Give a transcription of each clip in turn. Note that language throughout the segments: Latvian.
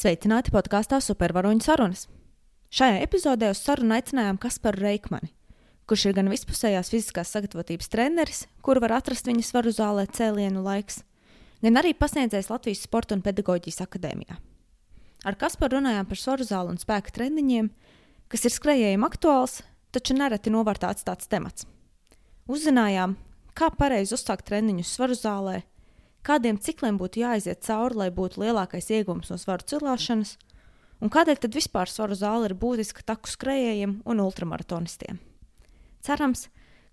Sveicināti podkāstā Supervaroņu sarunas. Šajā epizodē uz sarunu aicinājām Kasparu Reikmani, kurš ir gan vispusējās fiziskās sagatavotības treneris, kuru var atrast viņa svaru zālē Cēlienu laiks, gan arī pasniedzējs Latvijas Sporta un pedagoģijas akadēmijā. Ar Kasparu runājām par svaru zāli un spēka treniņiem, kas ir skrejējiem aktuāls, taču nereti novārtā atstāts temats. Uzzinājām, kā pareizi uzsākt treniņus svaru zālē, kādiem cikliem būtu jāaiziet cauri, lai būtu lielākais iegūms no svaru cilāšanas, un kādēļ tad vispār svaru zāle ir būtiska taku skrejējiem un ultramaratonistiem. Cerams,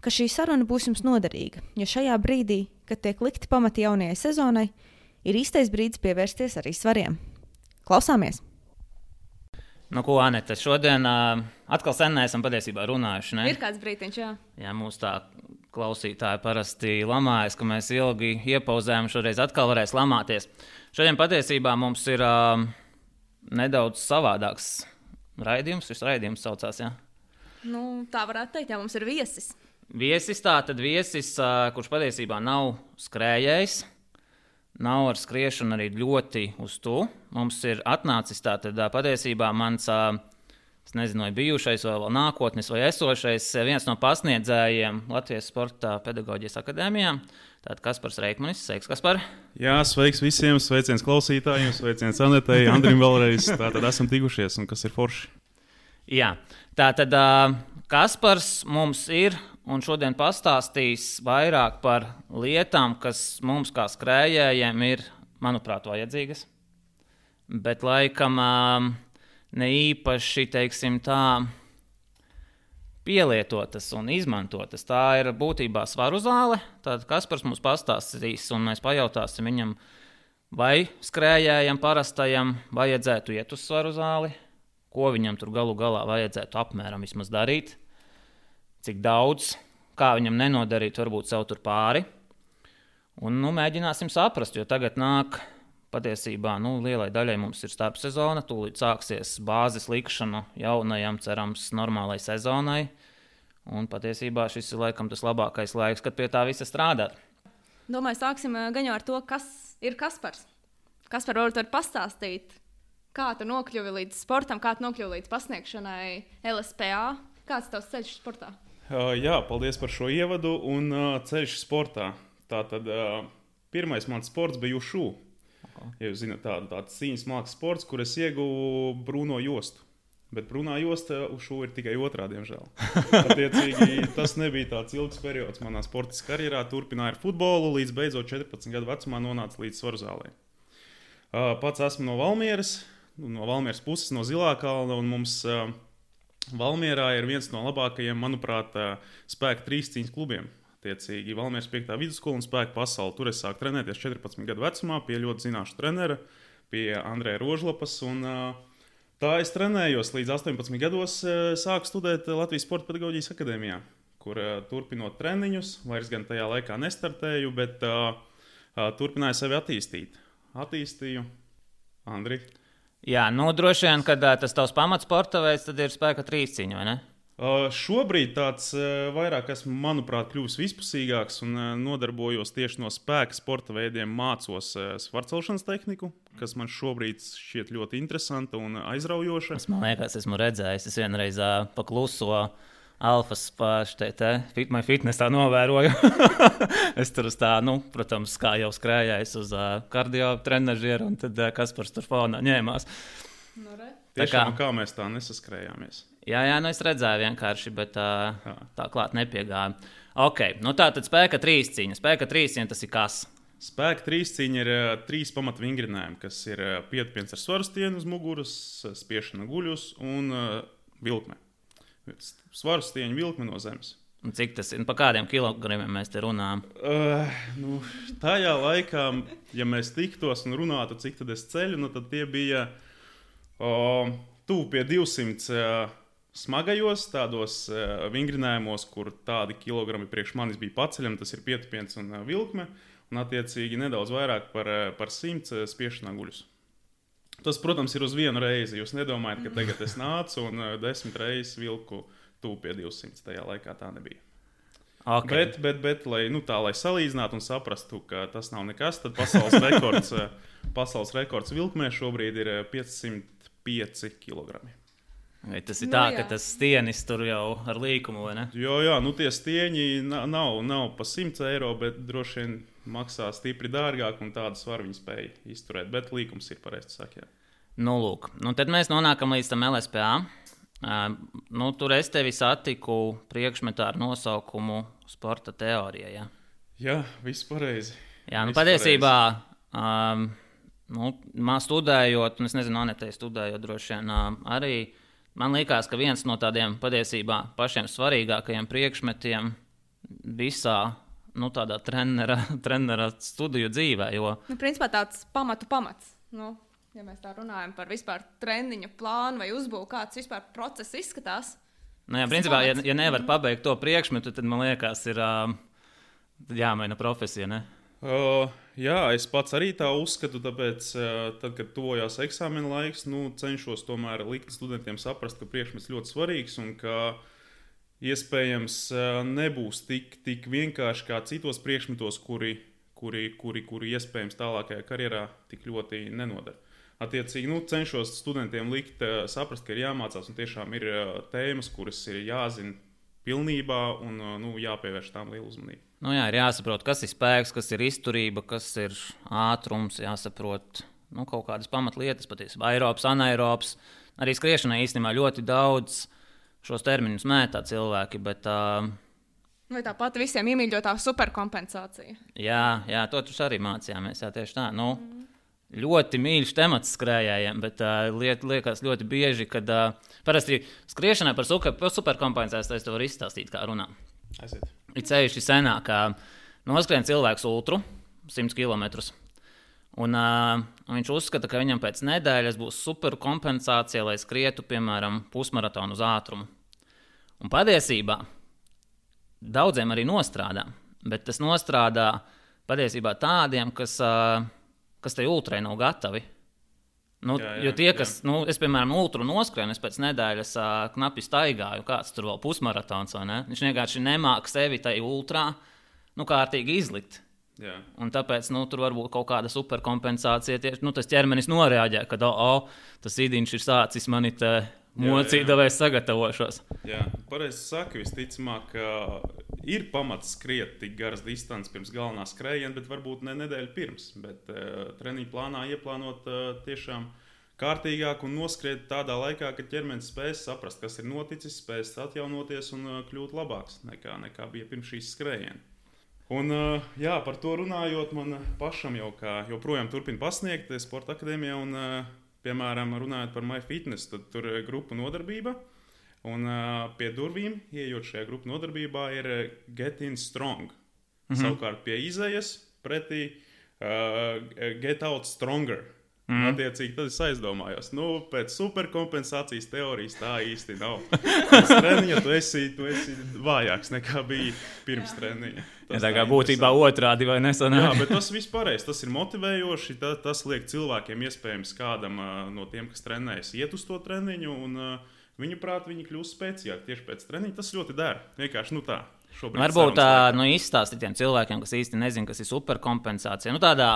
ka šī saruna būs jums noderīga, jo šajā brīdī, kad tiek likti pamati jaunajai sezonai, ir īstais brīdis pievērsties arī svariem. Klausāmies! Nu, ko, Anete, šodien atkal sen neesam patiesībā runājuši, ne? Ir kāds brītiņš, jā. Jā, mūs tā klausītāji parasti lamājas, ka mēs ilgi iepauzējam, šoreiz atkal varēs lamāties. Šodien patiesībā mums ir nedaudz savādāks raidījums, šis raidījums saucās, jā? Nu, tā varētu teikt, jā, mums ir viesis. Viesis, kurš patiesībā nav skrējējs, nav ar skriešanu arī ļoti uz to. Mums ir atnācis tātad patiesībā mans, es nezinu, vai bijušais, vai vēl nākotnes, vai esošais, viens no pasniedzējiem Latvijas Sporta pedagoģijas akadēmijā. Tātad Kaspars Reikmanis. Sveiks, Kaspar! Jā, sveiks visiem, sveiciens klausītājiem, sveiciens Anetei, Andrim vēlreiz. Tātad esam tikušies, un kas ir forši. Jā, tātad Kaspars mums ir un šodien pastāstīs vairāk par lietām, kas mums kā skrējējiem ir, manuprāt, vajadzīgas. Bet laikam ne īpaši, teiksim tā, pielietotas un izmantotas. Tā ir būtībā svaru zāle. Tad Kaspars mums pastāstīs un mēs pajautāsim viņam, vai skrējējam parastajam vajadzētu iet uz svaru zāli, ko viņam tur galu galā vajadzētu apmēram vismaz darīt, cik daudz, kā viņam nenodarīt, varbūt sev tur pāri. Un mēģināsim saprast, jo tagad nāk patiesībā, lielai daļai mums ir starpsezona, tūlīt sāksies bāzes likšana jaunajam, cerams, normālai sezonai. Un patiesībā šis ir laikam tas labākais laiks, kad pie tā visa strādāt. Domāju, sāksim gan jau ar to, kas ir Kaspars. Kaspar, varbūt var pastāstīt, kā tu nokļuvi līdz sportam, kā tu nokļuvi līdz pasniegšanai LSPA? Kāds tavs ceļš sportā? Jā, paldies par šo ievadu un ceļš sportā. Tātad pirmais mans sports bija ušu. Ja jūs zināt, tāds cīņas mākslas sports, kur es ieguvu brūno jostu. Bet brūnā josta ušu ir tikai otrā, diemžēl. Attiecīgi, tas nebija tāds ilgs periods manā sportiskā karjerā. Turpināju ar futbolu, līdz beidzot 14 gadu vecumā nonāca līdz svaru zālei. Pats esmu no Valmieras puses, no Zilākalna, un mums Valmierā ir viens no labākajiem, manuprāt, spēka trīscīņas klubiem. Attiecīgi, Valmieras 5. vidusskola un spēka pasaule. Tur es sāku trenēties 14 gadu vecumā pie ļoti zināša trenera, pie Andreja Rožlapas. Un, tā es trenējos līdz 18 gados, sāku studēt Latvijas Sporta pedagoģijas akadēmijā, kur turpinot treniņus, vairs gan tajā laikā nestartēju, bet turpināju sevi attīstīt. Attīstīju Andri. Jā, droši vien, kad tas tavs pamatsporta veids, tad ir spēka trīscīņa, vai ne? Šobrīd tāds vairāk esmu, manuprāt, kļuvis vispusīgāks un nodarbojos tieši no spēka sporta veidiem, mācos svarcelšanas tehniku, kas man šobrīd šķiet ļoti interesanta un aizraujoša. Man liekas, esmu redzējis, es vienreiz pakluso Alfas My Fitnessā novēroju. Es tur uz tā, protams, kā jau skrējājis uz kardio trenažieru, un tad Kaspars tur fonā ņēmās. Tiešām, kā mēs tā nesaskrējāmies. Jā, es redzēju vienkārši, bet tā klāt nepiegāja. Ok, tā tad spēka trīscīņa. Spēka trīscīņa tas ir kas? Spēka trīscīņa ir 3 pamatvingrinājumi, kas ir pietupiens ar svaru stieni uz muguras, spiešana guļus un vilkme. Svaru stieņu vilkme no zemes. Un cik tas ir? Pa kādiem kilogramiem mēs te runājam? Tajā laikā, ja mēs tiktos un runātu, cik tad es ceļu, tad tie bija tuvu pie 200 smagajos tādos vingrinājumos, kur tādi kilogrami priekš manis bija paceļami, tas ir pietupiens un vilkme, un attiecīgi nedaudz vairāk par 100 spiešanā guļus. Tas, protams, ir uz vienu reizi. Jūs nedomājat, ka tagad es nācu un 10 reizes vilku tuvu pie 200. Tajā laikā tā nebija. Okay. Bet lai salīdzinātu un saprastu, ka tas nav nekas, tad pasaules rekords vilkmē šobrīd ir 505 kg. Vai tas ir tā, ka tas stienis tur jau ar līkumu, vai ne? Jā, tie stieņi nav pa 100 eiro, bet droši vien maksā stipri dārgāk, un tādu svaru viņi spēja izturēt. Bet līkums ir pareizi saka. Lūk. Tad mēs nonākam līdz tam LSPA. Tur es tevi satiku priekšmetā ar nosaukumu sporta teorija. Jā, viss pareizi. Jā, patiesībā, studējot, un es nezinu, Anetei studējot droši vien arī, man liekas, ka viens no tādiem patiesībā pašiem svarīgākajiem priekšmetiem visā tādā trenera studiju dzīvē. Jo... Principā tāds pamats. Ja mēs tā runājam par vispār treniņu plānu vai uzbūvu, kāds vispār process izskatās. Principā, ja nevar pabeigt to priekšmetu, tad man liekas, ir jāmaina profesija, ne? Jā, es pats arī tā uzskatu, tāpēc, tad, kad tuvojās eksāmena laiks, cenšos tomēr likt studentiem saprast, ka priekšmets ļoti svarīgs un ka iespējams nebūs tik vienkārši kā citos priekšmetos, kuri iespējams tālākajā karjerā tik ļoti nenodara. Attiecīgi, cenšos studentiem likt saprast, ka ir jāmācās un tiešām ir tēmas, kuras ir jāzina pilnībā un jāpievērš tām lielu uzmanību. Ir jāsaprot, kas ir spēks, kas ir izturība, kas ir ātrums, jāsaprot kaut kādas pamatlietas, patiesībā aerobs, anaerobs. Arī skriešanai īstenībā ļoti daudz šos terminus mētā cilvēki, bet... Vai tāpat visiem iemīļotā superkompensācija? Jā, to arī mācījāmies, jā, tieši tā. Ļoti mīļš temats skrējējiem, bet liekas ļoti bieži, kad parasti skriešanai par superkompensāciju es to varu izstāstīt, kā runā. Ir ceļši senāk, kā noskrien cilvēks ultru 100 km. Un viņš uzskata, ka viņam pēc nedēļas būs superkompensācija, lai skrietu, piemēram, pusmaratonu uz ātrumu. Un patiesībā daudziem arī nostrādā, bet tas nostrādā patiesībā tādiem, kas tai ultrai nav gatavi. Jo tie, kas, es, piemēram, ultru noskrienu, es pēc nedēļas knapi staigāju, kāds tur vēl pusmaratons, vai ne? Viņš vienkārši nemāk sevi tai ultrā, kārtīgi izlikt. Jā. Un tāpēc, tur var būt kaut kāda superkompensācija, tieši, tas ķermenis noreaģē, kad, tas idiņš ir sācis mani te mocīt, vai es sagatavošos. Jā, pareizi saka, visticamāk, ir pamats skriet tik garas distances pirms galvenā skrējiena, bet varbūt ne nedēļu pirms. Bet treniņu plānā ieplānot tiešām kārtīgāk un noskriet tādā laikā, kad ķermenis spēs saprast, kas ir noticis, spēs atjaunoties un kļūt labāks nekā bija pirms šīs skrējiena. Un par to runājot, man pašam joprojām turpina pasniegt sporta akadēmijā un, piemēram, runājot par MyFitness, tad tur ir grupu nodarbība. Un pie durvīm, ieejot šajā grupu nodarbībā, ir Get in Strong. Savukārt pie izejas pretī Get out Stronger. Attiecīgi, tad es aizdomājos, pēc superkompensācijas teorijas tā īsti nav. Pēc treniņa tu esi vājāks nekā bija pirms treniņa. Tā kā būtībā otrādi vai nesanāk. Jā, bet tas viss pareizi, tas ir motivējoši, tas liek cilvēkiem iespējams kādam no tiem, kas trenējas, iet uz to treniņu un viņu prāt, viņi kļūst spēcīgāki tieši pēc treniņa. Tas ļoti der. Vienkārši tā. Varbūt izstāstīt tiem cilvēkiem, kas īsti nezin, kas ir superkompensācija. Tādā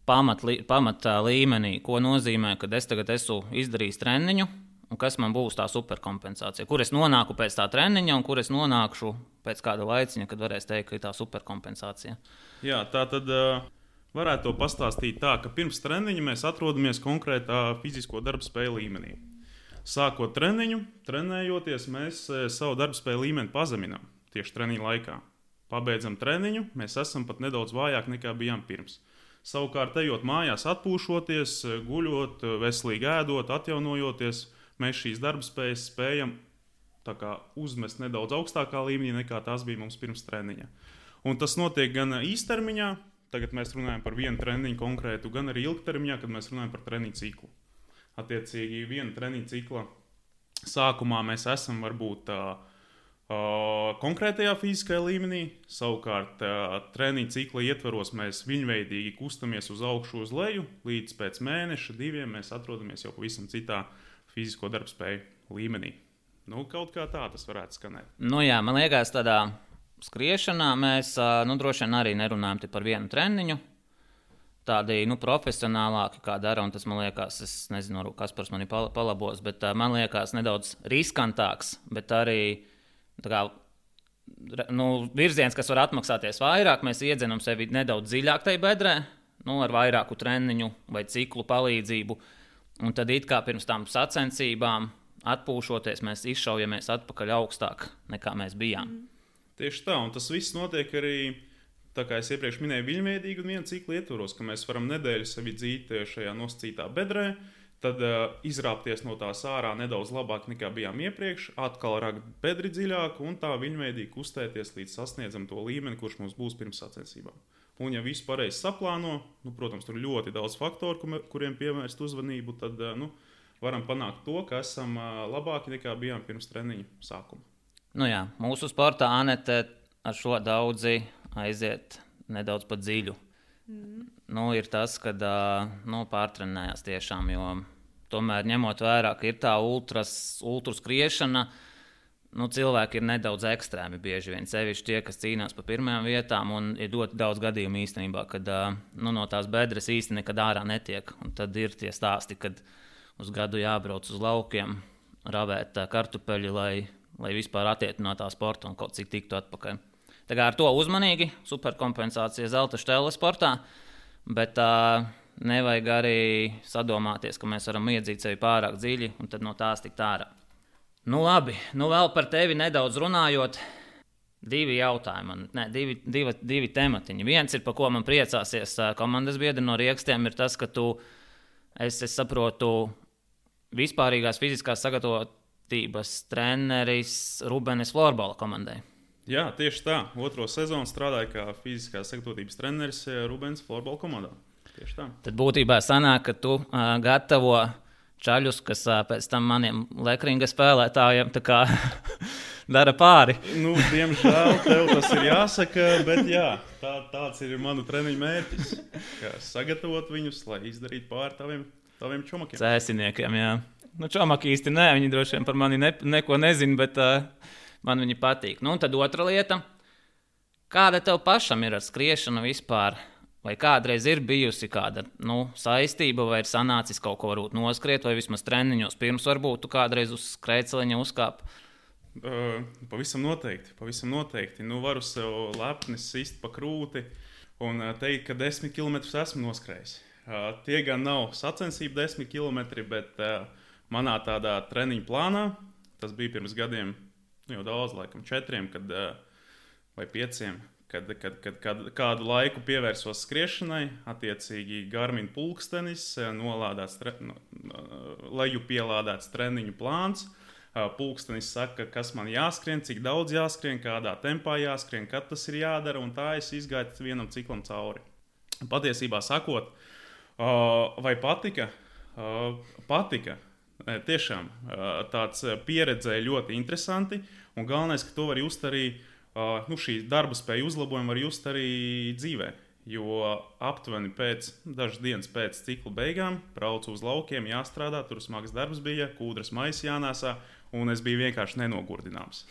pamatā līmenī, ko nozīmē, kad es tagad esmu izdarījis treniņu, un kas man būs tā superkompensācija. Kur es nonāku pēc tā treniņa, un kur es nonākšu pēc kāda laiciņa, kad varēs teikt, ka ir tā superkompensācija. Jā, tā tad varētu to pastāstīt tā, ka pirms treniņa mēs atrodamies konkrētā fizisko darbspēju līmenī. Sākot treniņu, trenējoties, mēs savu darbspēju līmeni pazeminām tieši treniņa laikā. Pabeidzam treniņu, mēs esam pat nedaudz vājāk nekā bijām pirms. Savukārt, ejot mājās, atpūšoties, guļot, veselīgi ēdot, atjaunojoties, mēs šīs darbspējas spējam uzmest nedaudz augstākā līmenī nekā tās bija mums pirms treniņa. Un tas notiek gan īstermiņā, tagad mēs runājam par vienu treniņu konkrētu, gan arī ilgtermiņā, kad mēs runājam par treniņu ciklu. Attiecīgi, viena treniņu cikla sākumā mēs esam varbūt konkrētajā fiziskajā līmenī, savukārt treniņa cikla ietvaros mēs viņveidīgi kustamies uz augšu uz leju, līdz pēc mēneša, 2 mēs atrodamies jau pavisam citā fizisko darbspēju līmenī. Kaut kā tā tas varētu skanēt. Jā, man liekas, tādā skriešanā mēs droši vien arī nerunājam par vienu treniņu. Tādi profesionālāki, kā dara, un tas man liekas, es nezinu, kas par mani palabos, bet man liekas nedaudz riskantāks, bet arī virziens, kas var atmaksāties vairāk. Mēs iedzenam sevi nedaudz dziļāk tajā bedrē, ar vairāku treniņu vai ciklu palīdzību. Un tad it kā pirms tām sacensībām atpūšoties, mēs izšaujamies atpakaļ augstāk nekā mēs bijām. Tieši tā, un tas viss notiek arī, tā kā es iepriekš minēju, viļņveidīgi un viena cikla ietvaros, ka mēs varam nedēļu sevi dzīt šajā nosacītā bedrē, tad izrāpties no tās ārā nedaudz labāk nekā bijām iepriekš, atkal rakt bedri dziļāk un tā viļņveidīgi kustēties līdz sasniedzam to līmeni, kurš mums būs pirms sacensībām. Un ja visu pareizi saplāno, protams, tur ļoti daudz faktoru, kuriem pievērst uzmanību, tad varam panākt to, ka esam labāki nekā bijām pirms treniņa sākuma. Jā, mūsu sportā Anete ar šo daudzi aiziet nedaudz pa dziļu. Ir tas, kad pārtrenējās tiešām, jo tomēr ņemot vērā, ka ir tā ultra skriešana, cilvēki ir nedaudz ekstrēmi bieži vien, sevišķi tie, kas cīnās pa pirmajām vietām, un ir ļoti daudz gadījumu īstenībā, kad no tās bedres īsti nekad ārā netiek. Un tad ir tie stāsti, kad uz gadu jābrauc uz laukiem, ravēt kartupeļi, lai vispār attietu no tā sporta un kaut cik tiktu atpakaļ. Tā kā ar to uzmanīgi, superkompensācija zelta štelle sportā, bet nevajag arī sadomāties, ka mēs varam iedzīt sevi pārāk dziļi un tad no tās tikt ārā. Labi, vēl par tevi nedaudz runājot, divi tematiņi. Viens ir, par ko man priecāsies komandas biedri no Riekstiem, ir tas, ka tu, es saprotu, vispārīgās fiziskās sagatavotības treneris Rubenes florbola komandai. Jā, tieši tā. 2. sezonu strādāju kā fiziskās sagatavotības treneris Rubenes florbola komandā. Tieši tā. Tad būtībā sanāk, ka tu gatavo čaļus, kas pēc tam maniem lekringa spēlētājiem tā kā dara pāri. Diemžēl tev tas ir jāsaka, bet jā, tāds ir manu treniņu mērķis. Sagatavot viņus, lai izdarītu pāri taviem čomakiem. Cēsiniekiem, jā. Čomaki īsti nē, viņi droši vien par mani neko nezin, bet man viņi patīk. Un tad otra lieta, kāda tev pašam ir ar skriešanu vispār? Vai kādreiz ir bijusi kāda saistība, vai ir sanācis kaut ko varbūt noskriet, vai vismaz treniņos pirms varbūt tu kādreiz uz skrejceliņa uzkāp? Pavisam noteikti. Varu sev lepni sist pa krūti un teikt, ka 10 km esmu noskrējis. Tie gan nav sacensību 10 km, bet manā tādā treniņu plānā, tas bija pirms gadiem, jau daudz, laikam 4 vai 5, kad kādu laiku pievērsos skriešanai, attiecīgi Garmin pulkstenis, leju pielādēts treniņu plāns. Pulkstenis saka, kas man jāskrien, cik daudz jāskrien, kādā tempā jāskrien, kad tas ir jādara, un tā es izgāju vienam ciklam cauri. Patiesībā sakot, vai patika? Patika. Tiešām tāds pieredzēja ļoti interesanti, un galvenais, ka to var just arī šī darba spēja uzlabojuma var just arī dzīvē, jo aptuveni dažas dienas pēc cikla beigām braucu uz laukiem, jāstrādā, tur smags darbs bija, kūdras maisi jānēsā, un es biju vienkārši nenogurdināms.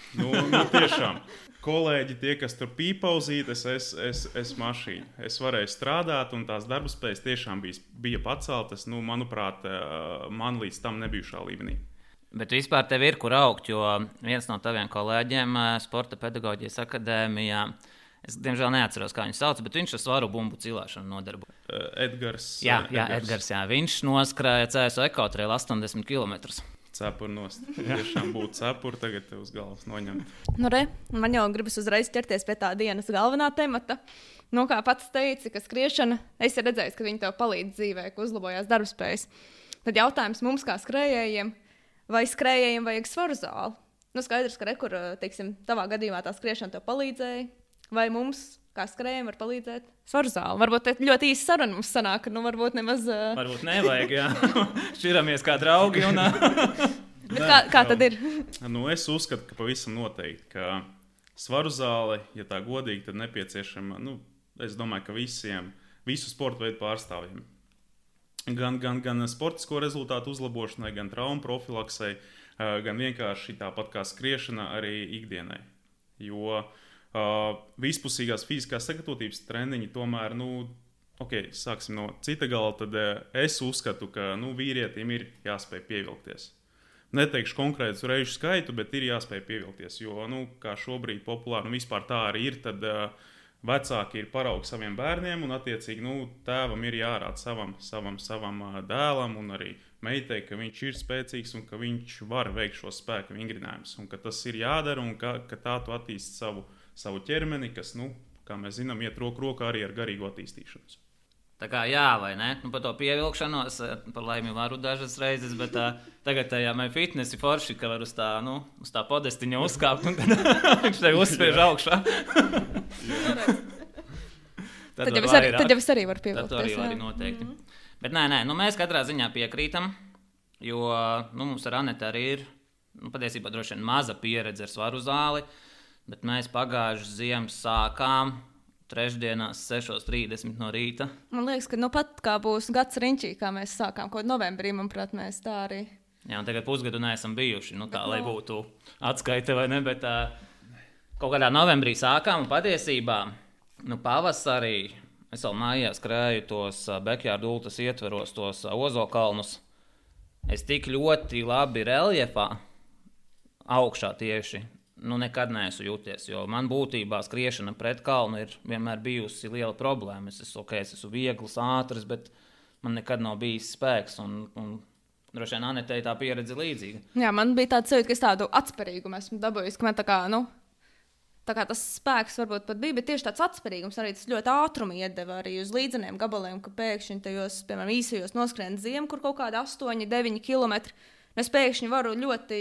Tiešām, kolēģi, tie, kas tur pīpauzīt, es mašīnu. Es varēju strādāt, un tās darba spējas tiešām bija paceltas, manuprāt, man līdz tam nebijušā līmenī. Bet vispār tev ir kur augt, jo viens no taviem kolēģiem Sporta pedagoģijas akadēmijā, es diemžēl neatceros, kā viņu sauc, bet viņš ar svaru bumbu cilāšanu nodarbojas. Edgars. Jā, Edgars, jā. Viņš noskrēja CSO ekotraili 80 km. Cepuri nost. Tiešām būtu cepuri, tagad tev uz galvas noņemt. Man jau gribas uzreiz ķerties pie tā dienas galvenā temata. Kā pats teici, ka skriešana, es redzēju, ka viņi tev palīdz dzīvē, ka uzlabojās darbspējas. Tad jautājums mums kā skrējējiem, vai skrējējiem vajag svaru zāli? Skaidrs, ka tavā gadījumā tā skriešana tev palīdzēja, vai mums, kā skrējējiem, var palīdzēt svaru zāli? Varbūt ļoti īsa saruna mums sanāk, varbūt nemaz... Varbūt nevajag, jā. Šķiramies kā draugi. Kā tad ir? Es uzskatu, ka pavisam noteikti, ka svaru zāle, ja tā godīgi, tad nepieciešama, es domāju, ka visu sporta veidu pārstāvjiem. Gan sportisko rezultātu uzlabošanai, gan traumu profilaksei, gan vienkārši tāpat kā skriešana arī ikdienai. Jo Vispusīgās fiziskās sagatavotības treniņi tomēr, sāksim no cita gala, tad es uzskatu, ka vīrietim ir jāspēj pievilkties. Neteikšu konkrētu reižu skaitu, bet ir jāspēj pievilkties, jo, kā šobrīd populāri, vispār tā arī ir, tad vecāki ir paraugi saviem bērniem, un attiecīgi, tēvam ir jārāda savam dēlam un arī meitai, ka viņš ir spēcīgs un ka viņš var veikt šos spēku vingrinājumus, un ka tas ir jādara, un ka tā tu attīsti savu ķermeni, kas, kā mēs zinām, iet roku rokā arī ar garīgu attīstīšanos. Tā kā jā, vai ne? Par to pievilkšanos, par laimi varu dažas reizes, bet tagad tajā fitnesi forši, ka var uz tā podestiņa uzkāpt, un tad viņš tev uzspiež augšā. Tad jau es arī varu pievilkties. Tad arī var noteikti. Bet nē, mēs katrā ziņā piekrītam, jo mums ar Anetu arī ir, patiesībā droši vien maza pieredze ar svaru zāli, bet mēs pagājušas ziemas sākām trešdienās 6:30 no rīta. Man liekas, ka pat kā būs gads riņķī, kā mēs sākām kaut novembrī, manuprāt, mēs tā arī. Jā, un tagad pusgadu neesam bijuši, lai būtu atskaite vai ne, bet kaut kādā novembrī sākām, un patiesībā, pavasarī es vēl mājās skrēju tos backyard ultras ietveros, tos ozokalnus. Es tik ļoti labi reljefā augšā tieši, nekad neesmu jūties, jo man būtībā skriešana pret kalnu ir vienmēr bijusi liela problēma. Es esmu viegls, ātrs, bet man nekad nav bijis spēks, un droši vien Anetei tā pieredze līdzīga. Jā, man bija tāds sajūta, ka es tādu atspērīgumu esmu dabūjis, ka man tā kā tas spēks varbūt pat bija, bet tieši tāds atspērīgums arī tas ļoti ātrumi iedeva arī uz līdzeniem gabaliem, ka pēkšņi tajos, piemēram, īsajos noskrien ziemu, kur kaut kādi 8-9 kilometri, un es pēkšņi varu ļoti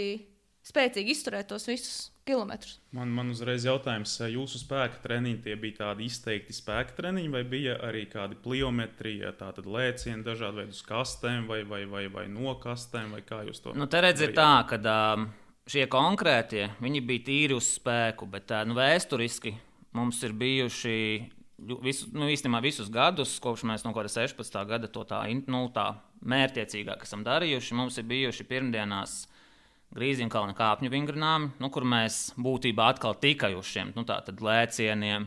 spēcīgi izturēt tos visus kilometrus. Man uzreiz jautājums, jūsu spēka treniņi tie bija tādi izteikti spēka treniņi, vai bija arī kādi pliometrija, tātad lēcieni dažādi veidi uz kastēm vai no kastēm, vai kā jūs to? Te redz ir tā, ka šie konkrētie, viņi bija tīri uz spēku, bet vēsturiski mums ir bijuši īstenībā visus gadus, kopš mēs no kāda 16. gada to tā mērķiecīgāk esam darījuši. Mums ir bijuši pirmdienās Grīziņkalna kāpņu vingrinājumi, kur mēs būtībā atkal tikai uz šiem tātad lēcieniem,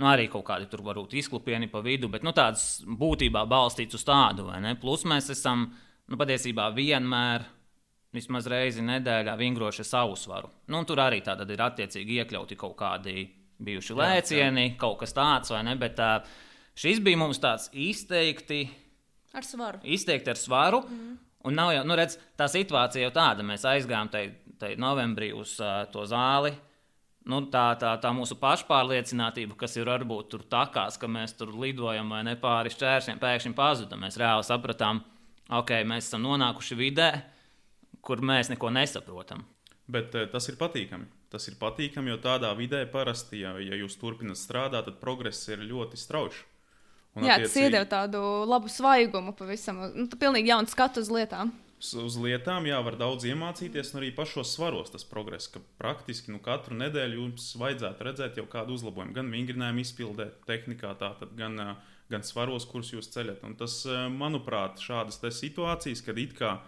arī kaut kādi tur varbūt izklupieni pa vidu, bet tāds būtībā balstīts uz tādu, vai ne? Plus mēs esam patiesībā vienmēr vismaz reizi nedēļā vingroši savu svaru. Tur arī tātad ir attiecīgi iekļauti kaut kādi bijuši lēcieni, kaut kas tāds, vai ne? Bet šis bija mums tāds izteikti ar svaru. Izteikti ar svaru. Un nav jau, redz, tā situācija jau tāda, mēs aizgājām tai novembrī uz to zāli, tā mūsu pašpārliecinātība, kas ir varbūt tur takās, ka mēs tur lidojam vai ne pāri šķēršļiem, pēkšņi pazuda. Mēs reāli sapratām, mēs esam nonākuši vidē, kur mēs neko nesaprotam. Bet tas ir patīkami. Tas ir patīkami, jo tādā vidē parasti, ja jūs turpināt strādāt, tad progress ir ļoti strauji. Jā, tas iedeva tādu labu svaigumu pavisam. Pilnīgi jaunu skatu uz lietām. Uz lietām, var daudz iemācīties, un arī pašos svaros tas progress, ka praktiski katru nedēļu jums vajadzētu redzēt jau kādu uzlabojumu. Gan vingrinājumu izpildē, tehnikā, tātad gan svaros, kurus jūs ceļat. Un tas, manuprāt, šādas situācijas, kad it kā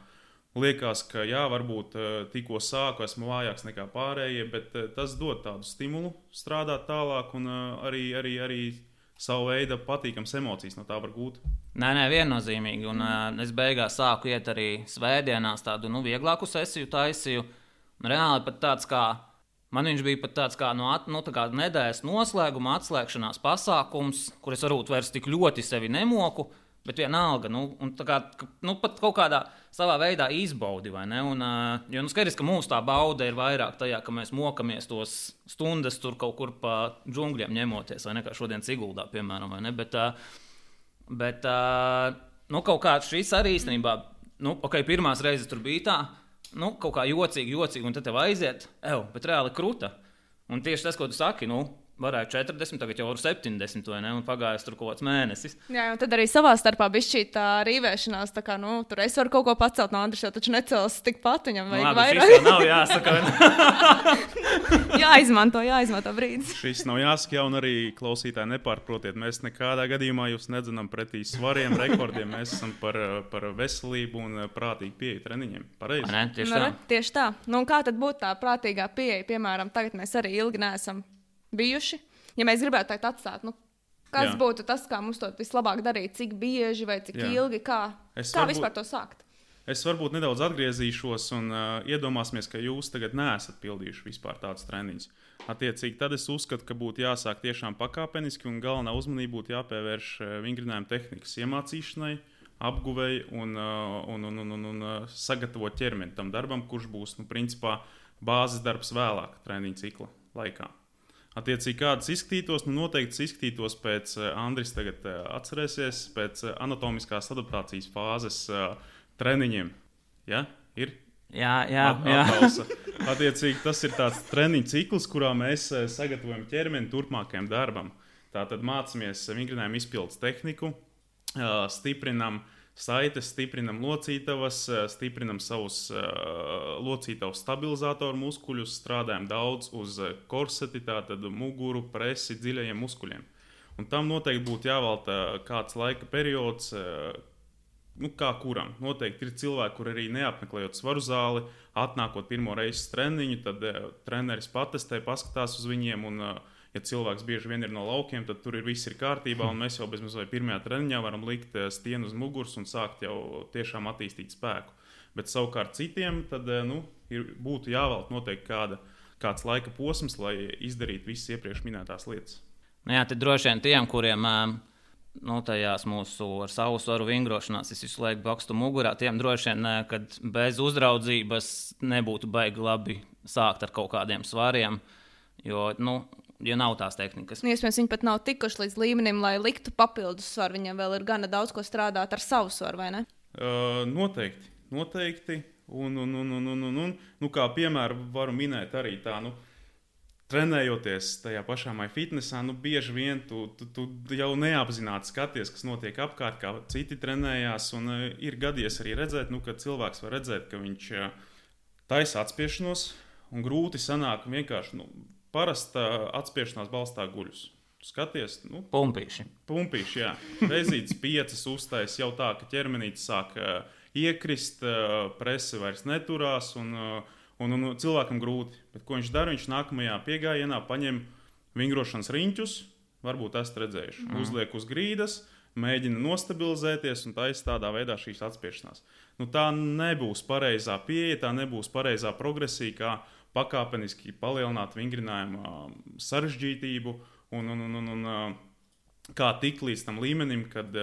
liekas, ka varbūt tikko sāku, esmu vājāks nekā pārējie, bet tas dod tādu stimulu strādāt tālāk un arī savu veidu patīkams emocijas no tā var gūt. Nē, viennozīmīgi. Un es beigās sāku iet arī svētdienās tādu vieglāku sesiju taisīju. Reāli pat tāds kā, man viņš bija pat tāds kā tā kā nedēļas noslēguma atslēgšanās pasākums, kur es varbūt vairs tik ļoti sevi nemoku, bet vienalga, un tā kā, pat kaut kādā savā veidā izbaudi, vai ne? Un, jo skaidrs, ka mūsu tā bauda ir vairāk tajā, ka mēs mokamies tos stundas tur kaut kur pa džungļiem ņemoties, vai ne, kā šodien Siguldā, piemēram, vai ne? Bet kaut kā šis arī īstenībā, pirmās reizes tur bija tā, kaut kā jocīgi, un tad tev aiziet, bet reāli kruta. Un tieši tas, ko tu saki, varētu 40, tagad jau var 70, vai ne, un pagājis tur kaut kāds mēnesis. Jā, un tad arī savā starpā bišķī tā rīvēšanās, tā kā, tur es varu kaut ko pacelt, no Andris jau taču necels tikpat, viņam vajag vairāk. Šis jau nav jāsaka. jāizmanto brīdis. Šis nav jāsaka, un arī klausītāji nepārprotiet, mēs nekādā gadījumā jūs nedzenam pretī svariem, rekordiem, mēs esam par veselību un prātīgu pieeju treniņiem. Pareizi? Ne, tieši tā. Tieši tā. Un kā tad būtu tā prātīgā pieeja, piemēram, tagad mēs arī ilgi neesam bijuši. Ja mēs gribētu teikt atstāt, kas būtu tas, kā mums to vislabāk darīt, cik bieži vai cik ilgi, kā vispār to sākt? Es varbūt nedaudz atgriezīšos un iedomāsimies, ka jūs tagad neesat pildījuši vispār tādus treniņus. Attiecīgi, tad es uzskatu, ka būtu jāsāk tiešām pakāpeniski un galvenā uzmanība būtu jāpievērš vingrinājuma tehnikas iemācīšanai, apguvei un sagatavot ķermeni tam darbam, kurš būs, principā, bāzes darbs vēlāk treniņa cikla laikā. Attiecīgi, kādas izskatītos, noteikti izskatītos pēc, Andris tagad atcerēsies, pēc anatomiskās adaptācijas fāzes treniņiem. Ja? Ir? Jā. Attiecīgi, tas ir tāds treniņu cikls, kurā mēs sagatavojam ķermeni turpmākajam darbam. Tātad mācāmies vingrinājumu izpildes tehniku, stiprinam saites, stiprinam locītavas, stiprinam savus locītavas stabilizātoru muskuļus, strādājam daudz uz korseti, tātad muguru, presi, dziļajiem muskuļiem. Un tam noteikti būtu jāvelta kāds laika periods, kā kuram. Noteikti ir cilvēki, kur arī neapmeklējot svaru zāli, atnākot pirmo reizi treniņu, tad treneris patestē, paskatās uz viņiem, un ja cilvēks bieži vien ir no laukiem, tad tur viss ir kārtībā, un mēs jau bezmazliet pirmajā treniņā varam likt stienu uz muguras un sākt jau tiešām attīstīt spēku. Bet savukārt citiem tad, būtu jāvelk noteikti kāds laika posms, lai izdarītu visas iepriekš minētās lietas. Jā, tad droši vien tiem, kuriem tajās mūsu ar savu svaru vingrošanās, es visu laiku bakstu mugurā, tiem droši vien, kad bez uzraudzības nebūtu baigi labi sākt ar kaut kādiem svariem, jo nav tās tehnikas. Iespējams, viņi pat nav tikuši līdz līmenim, lai liktu papildus svaru. Viņam vēl ir gana daudz ko strādāt ar savu svaru, vai ne? Noteikti. Kā piemēru varu minēt arī tā, trenējoties tajā pašā MyFitnessā, bieži vien tu jau neapzināti skaties, kas notiek apkārt, kā citi trenējās, un ir gadījies arī redzēt, ka cilvēks var redzēt, ka viņš taisa atspiešanos, un grūti sanāk vienkārši, parasta atspiešanās balstā guļus. Skaties, Pumpīši, jā. Reizītes 5 uztais jau tā, ka ķermenītis sāk iekrist, prese vairs neturās, un cilvēkam grūti. Bet ko viņš dara? Viņš nākamajā piegājienā paņem vingrošanas riņķus, varbūt esat redzējuši, uzliek uz grīdas, mēģina nostabilizēties un taisa tādā veidā šīs atspiešanās. Tā nebūs pareizā pieeja, tā nebūs pareizā progresija, kā pakāpeniski palielināt vingrinājumu sarežģītību un kā tikt līdz tam līmenim, kad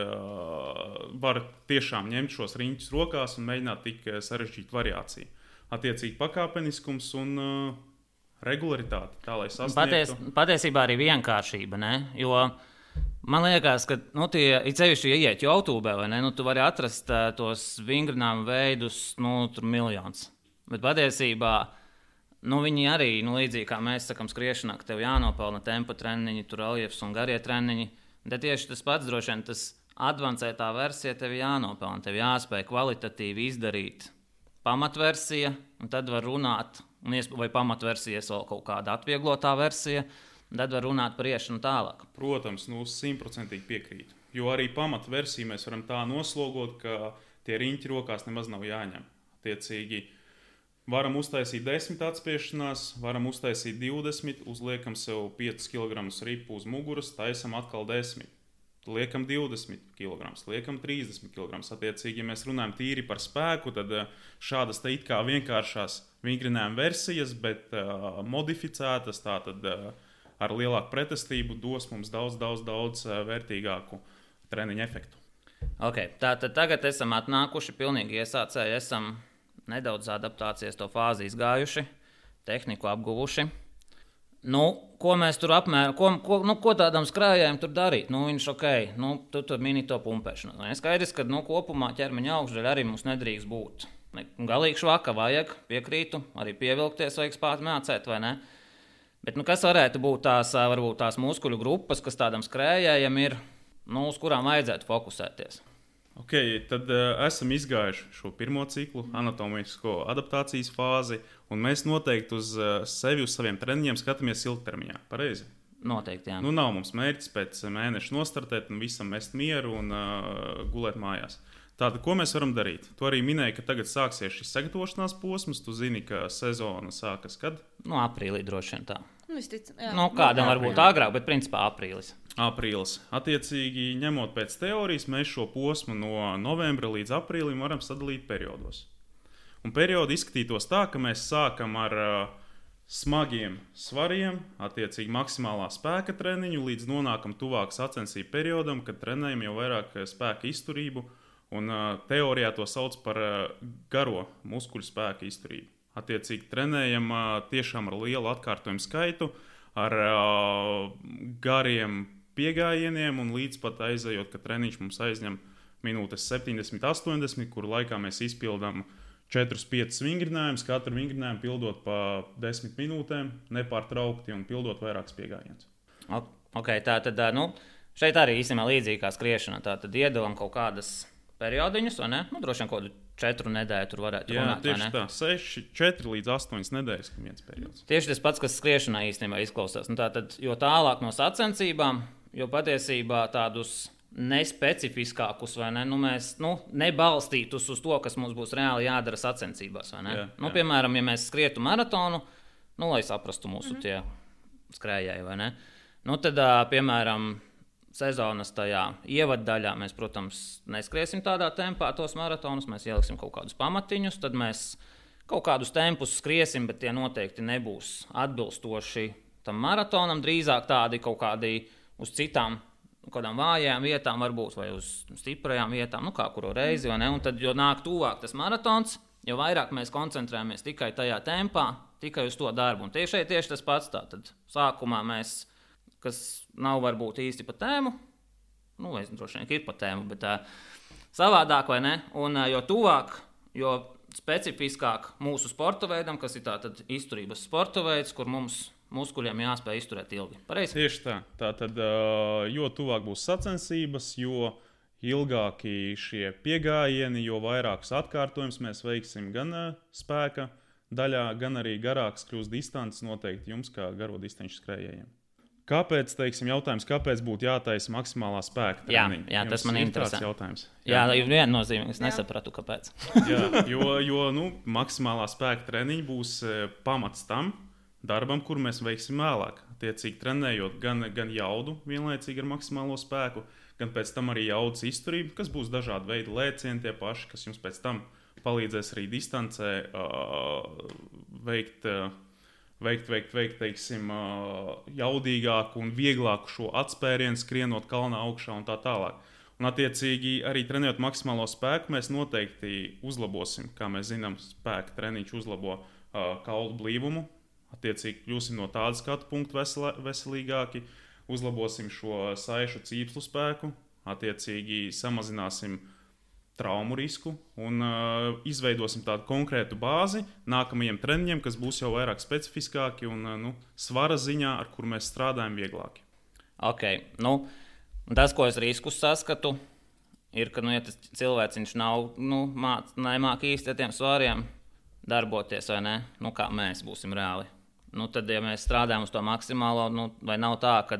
var tiešām ņemt šos riņķus rokās un mēģināt tik sarežģītu variāciju. Attiecīgi pakāpeniskums un regularitāte, tā lai sasniegtu. Patiesībā arī vienkāršība, ne? Jo man liekas, ka it sevišķi, ja iet YouTube, vai ne, tu vari atrast tos vingrinājumu veidus, tur miljonus. Bet patiesībā viņi arī, līdzīgi kā mēs sakam skriešanā, ka tev jānopelna tempa treniņi, tur reljefs un garie treniņi, bet tieši tas pats droši vien, tas advancētā versija tev jānopelna, tev jāspēj kvalitatīvi izdarīt pamatversija, un tad var runāt, vai pamatversijas vēl kaut kāda atvieglotā versija, un tad var runāt par iešanu tālāk. Protams, 100% piekrītu, jo arī pamatversiju mēs varam tā noslogot, ka tie riņķi rokās nemaz nav jāņem. Attiecīgi, varam uztaisīt 10 atspiešanās, varam uztaisīt 20, uzliekam sev 5 kg ripu uz muguras, taisam atkal 10, liekam 20 kg, liekam 30 kg. Attiecīgi, ja mēs runājam tīri par spēku, tad šādas te it kā vienkāršās vingrinājuma versijas, bet modificētas, tātad ar lielāku pretestību dos mums daudz vērtīgāku treniņu efektu. Okay, tātad tagad esam atnākuši, pilnīgi iesācēji esam nedaudz adaptācijas to fāzi izgājuši, tehniku apguvuši. Ko mēs tur ko tādam skrējējam tur darīt? Viņš tu tur mini to pumpēšanu. Skaidrs, ka kopumā ķermeņa augšdaļa arī mums nedrīkst būt. Galīgi švaka vajag, piekrītu, arī pievilkties vajag spāt mācēt, vai ne? Bet kas varētu būt varbūt tās muskuļu grupas, kas tādam skrējējam ir, uz kurām vajadzētu fokusēties? Tad esam izgājuši šo pirmo ciklu, anatomisko adaptācijas fāzi, un mēs noteikti uz sevi, uz saviem treniņiem skatāmies ilgtermiņā. Pareizi? Noteikti, jā. Nav mums mērķis pēc mēneša nostartēt un visam mest mieru un gulēt mājās. Tātad, ko mēs varam darīt? Tu arī minēji, ka tagad sāksies šis sagatavošanās posms. Tu zini, ka sezona sākas kad? Aprīlī droši vien tā. Kādam varbūt agrāk, bet principā aprīlis. Aprīlis. Attiecīgi, ņemot pēc teorijas, mēs šo posmu no novembra līdz aprīlim varam sadalīt periodos. Un periodi izskatītos tā, ka mēs sākam ar smagiem svariem, attiecīgi maksimālā spēka treniņu, līdz nonākam tuvāk sacensību periodam, kad trenējam jau vairāk spēka izturību, un teorijā to sauc par garo muskuļu spēka izturību. Attiecīgi trenējam tiešām ar lielu atkārtojumu skaitu, ar gariem piegājieniem, un līdz pat aizejot, ka treniņš mums aizņem minūtes 70, 80, kuru laikā mēs izpildām 4-5 vingrinājumus, katru vingrinājumu pildot pa 10 minūtēm, nepārtraukti un pildot vairākus piegājienus. Okay, tā tad, šeit arī īstenībā līdzīgi kā skriešana. Tā tad iedalam kaut kādas periodiņus, vai ne? Droši vien kaut kādu 4 nedēļu tur varētu runāt, vai ne? Jā, tieši tā, 4 līdz 8 nedēļas, ka viens periods. Tieši tas pats, kas skriešanā īstenībā izklausās. Tātad, jo tālāk no sacensībām, jo patiesībā tādus nespecifiskākus, vai ne? Mēs nebalstītus uz to, kas mums būs reāli jādara sacensībās, vai ne? Jā. Piemēram, ja mēs skrietu maratonu, lai saprastu mūsu tie skrējēji, vai ne? Tad, piemēram, sezonas tajā ievaddaļā mēs, protams, neskriesim tādā tempā tos maratonus, mēs ieliksim kaut kādus pamatiņus, tad mēs kaut kādus tempus skriesim, bet tie noteikti nebūs atbilstoši tam maratonam, drīzāk tādi kaut kādi uz citām kādām vājām vietām, varbūt, vai uz stiprajām vietām, kā kuru reizi, vai ne? Un tad, jo nāk tuvāk tas maratons, jo vairāk mēs koncentrējamies tikai tajā tempā, tikai uz to darbu. Un tieši tas pats. Tad sākumā mēs, kas nav varbūt īsti pa tēmu, vai droši vien ir pa tēmu, bet savādāk, vai ne? Un jo tuvāk, jo specifiskāk mūsu sporta veidam, kas ir tātad izturības sporta veids, kur mums muskuļiem jāspēj izturēt ilgi. Pareizi? Tieši tā. Tātad, jo tuvāk būs sacensības, jo ilgāki šie piegājieni, jo vairākus atkārtojumus mēs veiksim gan spēka daļā, gan arī garāks kļūst distances noteikti jums, kā garo distanču skrējējiem. Kāpēc, kāpēc būtu jātaisa maksimālā spēka treniņa? Jā, tas man interesē. Jā, ir viennozīmīgi, es nesapratu, kāpēc. Jā, jo maksimālā spēka treniņa būs pamats tam darbam, kur mēs veiksim vēlāk. Attiecīgi trenējot gan jaudu vienlaicīgi ar maksimālo spēku, gan pēc tam arī jaudas izturību, kas būs dažādi veidi lēcieni tie paši, kas jums pēc tam palīdzēs arī distancē veikt teiksim, jaudīgāku un vieglāku šo atspērienu, skrienot kalnā augšā un tā tālāk. Un attiecīgi arī trenējot maksimālo spēku, mēs noteikti uzlabosim, kā mēs zinām, spēka treniņš uzlabo kaulu blīvumu. Attiecīgi kļūsim no tāda skatu punkta veselīgāki, uzlabosim šo saišu cīpslu spēku, attiecīgi samazināsim traumu risku un izveidosim tādu konkrētu bāzi nākamajiem treniņiem, kas būs jau vairāk specifiskāki un svara ziņā, ar kur mēs strādājam vieglāki. Okay. Tas, ko es riskus saskatu, ir, ka ja tas cilvēciņš nemāk īsti ar tiem svariem darboties, vai ne? Kā mēs būsim reāli. Tad, ja mēs strādājam uz to maksimālo, vai nav tā, ka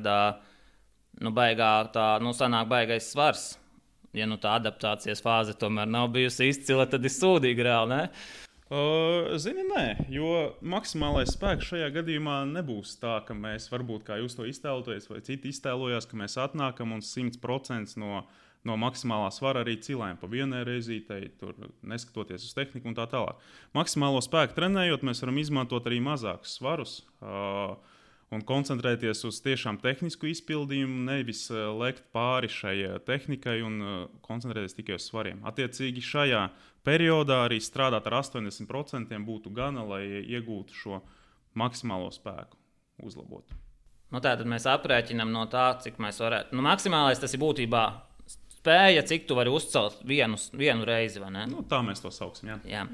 sanāk baigais svars, ja tā adaptācijas fāze tomēr nav bijusi izcila, tad ir sūdīgi reāli, ne? Zini, nē, jo maksimālais spēks šajā gadījumā nebūs tā, ka mēs varbūt, kā jūs to iztēloties, vai citi iztēlojās, ka mēs atnākam un 100% no maksimālā svara arī cilājam pa vienai reizītei, tur neskatoties uz tehniku un tā tālāk. Maksimālo spēku trenējot, mēs varam izmantot arī mazākus svarus un koncentrēties uz tiešām tehnisku izpildījumu, nevis lekt pāri šai tehnikai un koncentrēties tikai uz svariem. Attiecīgi šajā periodā arī strādāt ar 80% būtu gana, lai iegūtu šo maksimālo spēku uzlabot. Tātad mēs aprēķinām no tā, cik mēs varētu. Maksimālais tas ir būtībā spēja, cik tu vari uzcelt vienu reizi, vai ne? Tā mēs to sauksim, jā.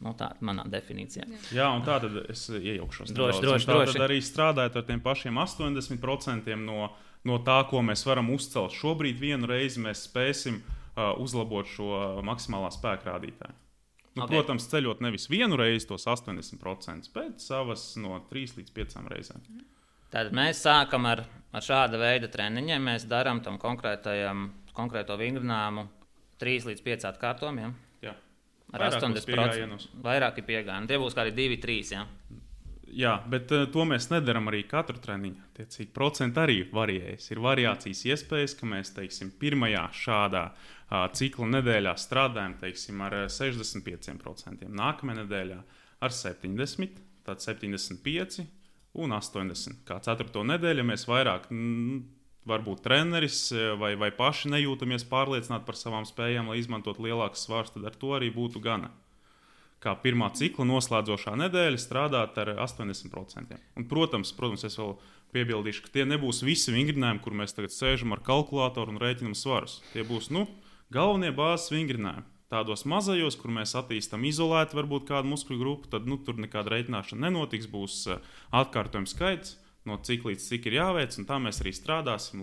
Tā ir manā definīcijā. Jā, un tā tad es iejaukšos. Droši. Tad arī strādājot ar tiem pašiem 80% no tā, ko mēs varam uzcelt. Šobrīd vienu reizi mēs spēsim uzlabot šo maksimālā spēka rādītāju. Protams, ceļot nevis vienu reizi tos 80%, bet savas no 3 līdz 5 reizēm. Tātad mēs sākam ar šāda veida treniņiem. Mēs darām tam konkrēto vingrinājumu 3 līdz 5 atkārtojumiem. Jā. Ar 80%. Vairāki piegājieni. Tie būs kādi 2, 3, jā? Jā, bet to mēs nedaram arī katru treniņu. Tiecīgi procenti arī varējas. Ir variācijas iespējas, ka mēs, teiksim, pirmajā šādā cikla nedēļā strādājam, teiksim, ar 65%, nākamajā nedēļā ar 70%, tad 75% un 80%. Kā 4. nedēļa mēs vairāk, varbūt treneris vai paši nejūtamies pārliecināti par savām spējām, lai izmantot lielākas svārus, tad ar to arī būtu gana. Kā pirmā cikla noslēdzošā nedēļa strādāt ar 80%. Un, protams, es vēl piebildīšu, ka tie nebūs visi vingrinājumi, kur mēs tagad sēžam ar kalkulātoru un rēķinam svarus. Tie būs galvenie bāzes vingrinājumi. Tādos mazajos, kur mēs attīstam izolēti varbūt kādu muskuļu grupu, tad tur nekāda rēķināšana nenotiks, būs atkārtojums skaits no cik līdz cik ir jāveic, un tā mēs arī strādāsim,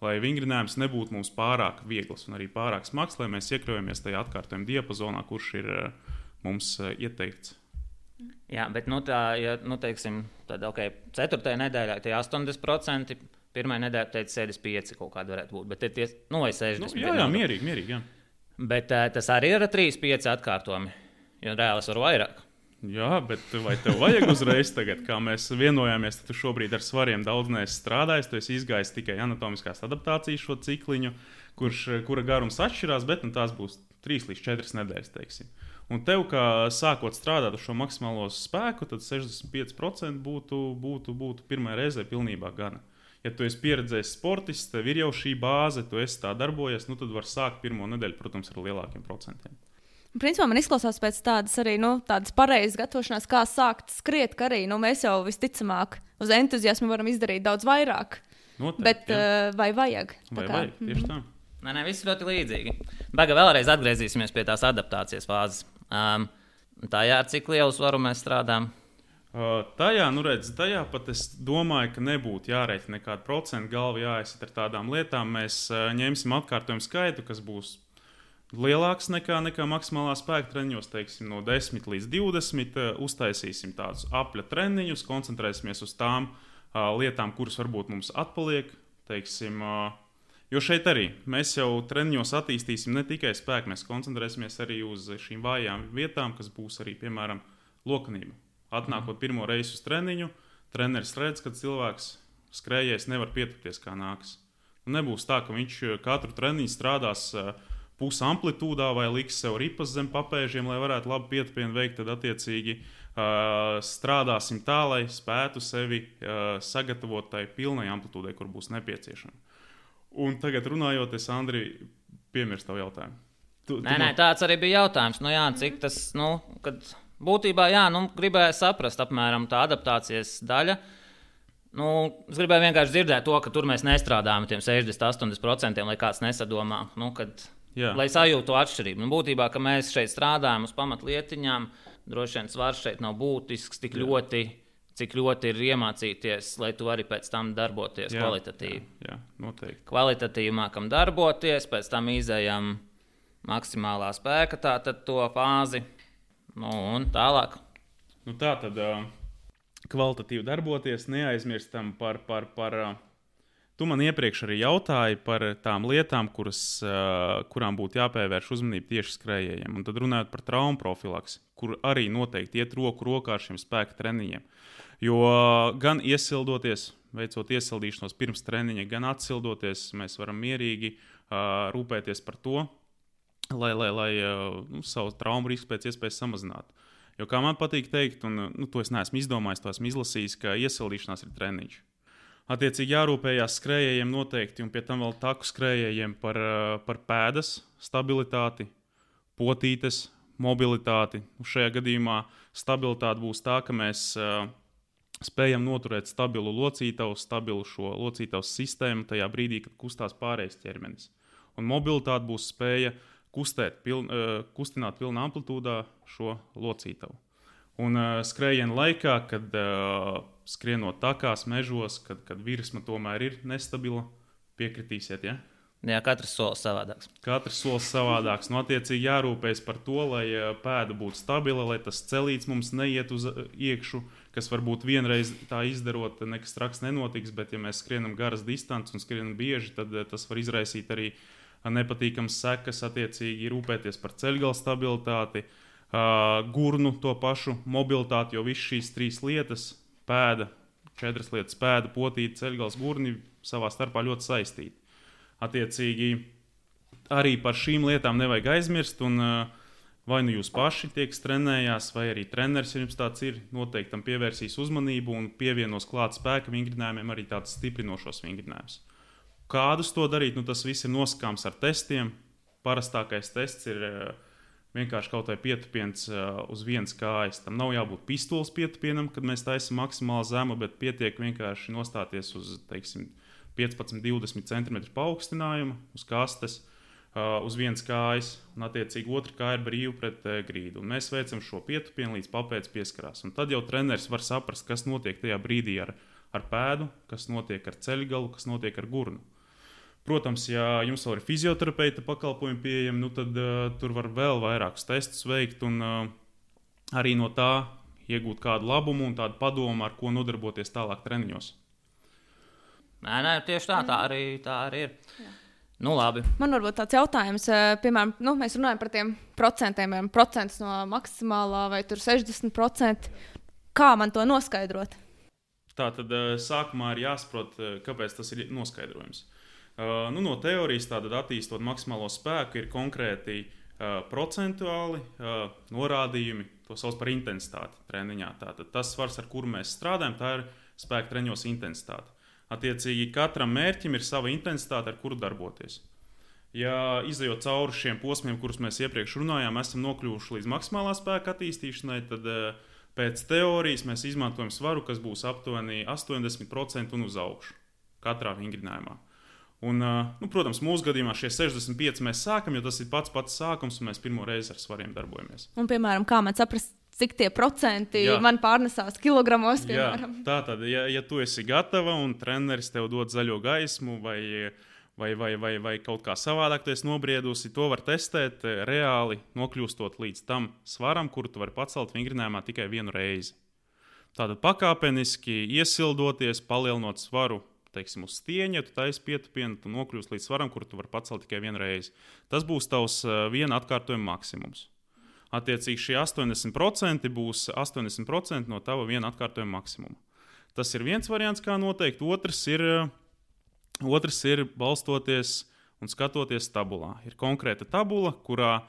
lai vingrinājums nebūtu mums pārāk viegls un arī pārāk smags, lai mēs iekļaujamies tajā atkārtojuma diapazonā, kurš ir mums ieteikts. Jā, bet teiksim, tad, 4. nedēļā tie 80%, 1. nedēļā teica 75% kaut kāda varētu būt, bet tie vai 60%. Jā, mierīgi, jā. Bet tas arī ir 3-5 atkārtojumi, jo reāli es varu vairāk. Jā, bet vai tev vajag uzreiz tagad, kā mēs vienojāmies, tad tu šobrīd ar svariem daudz neesi strādājis, tu esi izgājis tikai anatomiskās adaptācijas šo cikliņu, kura garums atšķirās, bet tās būs 3 līdz 4 nedēļas, teiksim. Un tev, kā sākot strādāt ar šo maksimālo spēku, tad 65% būtu pirmā reizē pilnībā gana. Ja tu esi pieredzējis sportists, tev ir jau šī bāze, tu esi tā darbojies, tad var sākt pirmo nedēļu, protams, ar lielākiem procentiem. Principā man izklausās pēc tādas arī tādas pareizas gatavošanās, kā sākt skriet, ka arī mēs jau visticamāk uz entuziasmu varam izdarīt daudz vairāk. Noteikti, bet vai vajag? Vajag, tieši tā. Nē, viss ļoti līdzīgi. Baga vēlreiz atgriezīsimies pie tās adaptācijas fāzes. Tajā ar cik lielu svaru mēs strādājam? Tajā pat es domāju, ka nebūtu jārēķina nekāda procenta galva jāizsit ar tādām lietām. Mēs ņemsim atkārtojumu skaitu, kas būs lielāks nekā maksimālā spēka treniņos, teiksim, no 10 līdz 20. Uztaisīsim tādus apļa treniņus, koncentrēsimies uz tām lietām, kuras varbūt mums atpaliek, teiksim, jo šeit arī mēs jau treniņos attīstīsim ne tikai spēku, mēs koncentrēsimies arī uz šīm vājām vietām, kas būs arī, piemēram, lokanība. Atnākot pirmo reizi uz treniņu, treneris redz, ka cilvēks skrējējis nevar pietupties kā nākas. Nebūs tā, ka viņš katru treniņu strādās pusi amplitūdā vai liks sev ripas zem papēžiem, lai varētu labi pietupienu veikt, tad attiecīgi strādāsim tā, lai spētu sevi sagatavot tai pilnai amplitūdai, kur būs nepieciešama. Un tagad runājot, es, Andri, piemirstu tavu jautājumu. Nē, tāds arī bija jautājums. Cik tas, kad būtībā, gribēju saprast apmēram tā adaptācijas daļa. Es gribēju vienkārši dzirdēt to, ka tur mēs nestrādājam ar tiem 60-80%, lai kāds nesadomā, lai sajūtu to atšķirību. Būtībā, ka mēs šeit strādājam uz pamatlietiņām, droši vien svars šeit nav būtisks tik ļoti, cik ļoti ir iemācīties, lai tu vari pēc tam darboties kvalitatīvi. Jā, noteikti. Kvalitatīvi mākam darboties, pēc tam izējam maksimālā spēka tātad to fāzi, un tālāk. Tā tad kvalitatīvi darboties, neaizmirstam par tu man iepriekš arī jautāji par tām lietām, kurām būtu jāpievērš uzmanība tieši skrējējiem. Un tad runājot par traumu profilaksi, kur arī noteikti iet roku rokā ar šiem spēka treniņiem. Jo gan iesildoties, veicot iesildīšanos pirms treniņa, gan atsildoties, mēs varam mierīgi rūpēties par to, lai savu traumu risku pēc iespējas samazinātu. Jo kā man patīk teikt, un to es neesmu izdomājis, to esmu izlasījis, ka iesildīšanās ir treniņš. Attiecīgi jārūpējās skrējējiem noteikti, un pie tam vēl taku skrējējiem par pēdas stabilitāti, potītes, mobilitāti. Šajā gadījumā stabilitāte būs tā, ka mēs spējam noturēt stabilu locītavu, stabilu šo locītavu sistēmu tajā brīdī, kad kustās pārējais ķermenis. Un mobilitāte būs spēja kustināt pilnā amplitūdā šo locītavu. Un skrējiena laikā, kad skrienot takās, mežos, kad virsma tomēr ir nestabila, piekritīsiet, ja? Jā, katrs solis savādāks. Katrs solis savādāks. Attiecīgi jārūpējas par to, lai pēda būtu stabila, lai tas celīts mums neiet uz iekšu, kas varbūt vienreiz tā izdarot, nekas traks nenotiks, bet ja mēs skrienam garas distances un skrienam bieži, tad tas var izraisīt arī nepatīkams sekas, attiecīgi rūpēties par ceļgala stabilitāti, gurnu to pašu mobilitāti, jo visas šīs 3 lietas, pēda, 4 lietas, pēda, potīte, ceļgals, gurni savā starpā ļoti saistīti. Attiecīgi, arī par šīm lietām nevajag aizmirst, un vai nu jūs paši tiekat trenējās, vai arī treneris, ja jums tāds ir, noteikti tam pievērsīs uzmanību un pievienos klāt spēka vingrinājumiem arī tāds stiprinošos vingrinājumus. Kādus to darīt? Nu, tas viss ir nosakāms ar testiem. Parastākais tests ir vienkārši kaut vai pietupiens uz vienas kājas. Tam nav jābūt pistoles pietupienam, kad mēs taisam maksimāli zemu, bet pietiek vienkārši nostāties uz, teiksim, 15-20 cm paaugstinājumu uz kastes, uz vienas kājas, un attiecīgi otra kāja ir brīva pret grīdu. Un mēs veicam šo pietupienu līdz papēdes pieskarās. Un tad jau treneris var saprast, kas notiek tajā brīdī ar pēdu, kas notiek ar ceļgalu, kas notiek ar gurnu. Protams, ja jums vēl ir fizioterapeita pakalpojumi pieejami, nu tad tur var vēl vairākus testus veikt un arī no tā iegūt kādu labumu un tādu padomu, ar ko nodarboties tālāk treniņos. Nē, tieši tā arī ir. Jā. Nu, labi. Man varbūt tāds jautājums, piemēram, mēs runājam par tiem procentiem, procents no maksimālā vai tur 60%. Kā man to noskaidrot? Tā tad sākumā ir jāsaprot, kāpēc tas ir noskaidrojums. No teorijas tātad attīstot maksimālo spēku ir konkrēti procentuāli norādījumi, to sauc par intensitāti treniņā. Tātad tas svars, ar kuru mēs strādājam, tā ir spēka treniņos intensitāte. Attiecīgi katram mērķim ir sava intensitāte, ar kuru darboties. Ja izejot cauri šiem posmiem, kurus mēs iepriekš runājām, esam nokļuvuši līdz maksimālā spēka attīstīšanai, tad pēc teorijas mēs izmantojam svaru, kas būs aptuveni 80% un uz augšu katrā vingrinājumā. Un, protams, mūsu gadījumā šie 65 mēs sākam, jo tas ir pats sākums, un mēs pirmo reizi ar svariem darbojamies. Un, piemēram, kā man saprast, cik tie procenti man pārnesās kilogramos, piemēram? Jā, tātad, ja tu esi gatava un treneris tev dod zaļo gaismu vai kaut kā savādāk tu esi nobriedusi, to var testēt reāli, nokļūstot līdz tam svaram, kuru tu vari pacelt vingrinājumā tikai vienu reizi. Tātad pakāpeniski iesildoties, palielinot svaru, teiksim, uz stieņa, tu taisi pietupienu, tu nokļūsi līdz svaram, kuru tu vari pacelt tikai vienu reizi. Tas būs tavs viena atkārtojuma maksimums. Attiecīgi šie 80% būs 80% no tava viena atkārtojuma maksimuma. Tas ir viens variants, kā noteikt. Otrs ir balstoties un skatoties tabulā. Ir konkrēta tabula, kurā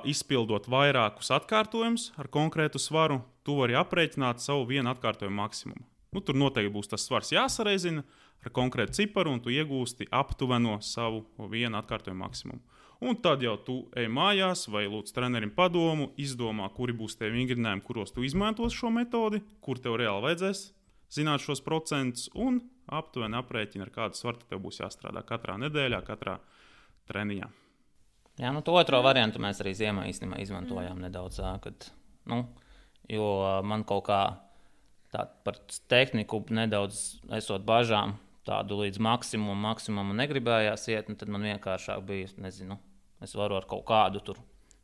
izpildot vairākus atkārtojumus ar konkrētu svaru, tu vari aprēķināt savu vienu atkārtojumu maksimumu. Tur noteikti būs tas svars jāsareizina ar konkrētu ciparu, un tu iegūsti aptuveno savu vienu atkārtojumu maksimumu. Un tad jau tu ej mājās vai lūdz trenerim padomu, izdomā, kuri būs tie vingrinājumi, kuros tu izmantos šo metodi, kur tev reāli vajadzēs zināt šos procentus, un aptuveni aprēķina, ar kādu svaru tev būs jāstrādā katrā nedēļā, katrā treniņā. Jā, to otro variantu mēs arī ziemā īstenībā izmantojām nedaudz, jo man kaut kā tā par tehniku nedaudz esot bažām, tādu līdz maksimumu negribējās iet, un tad man vienkāršāk bija, es varu ar kaut kādu tur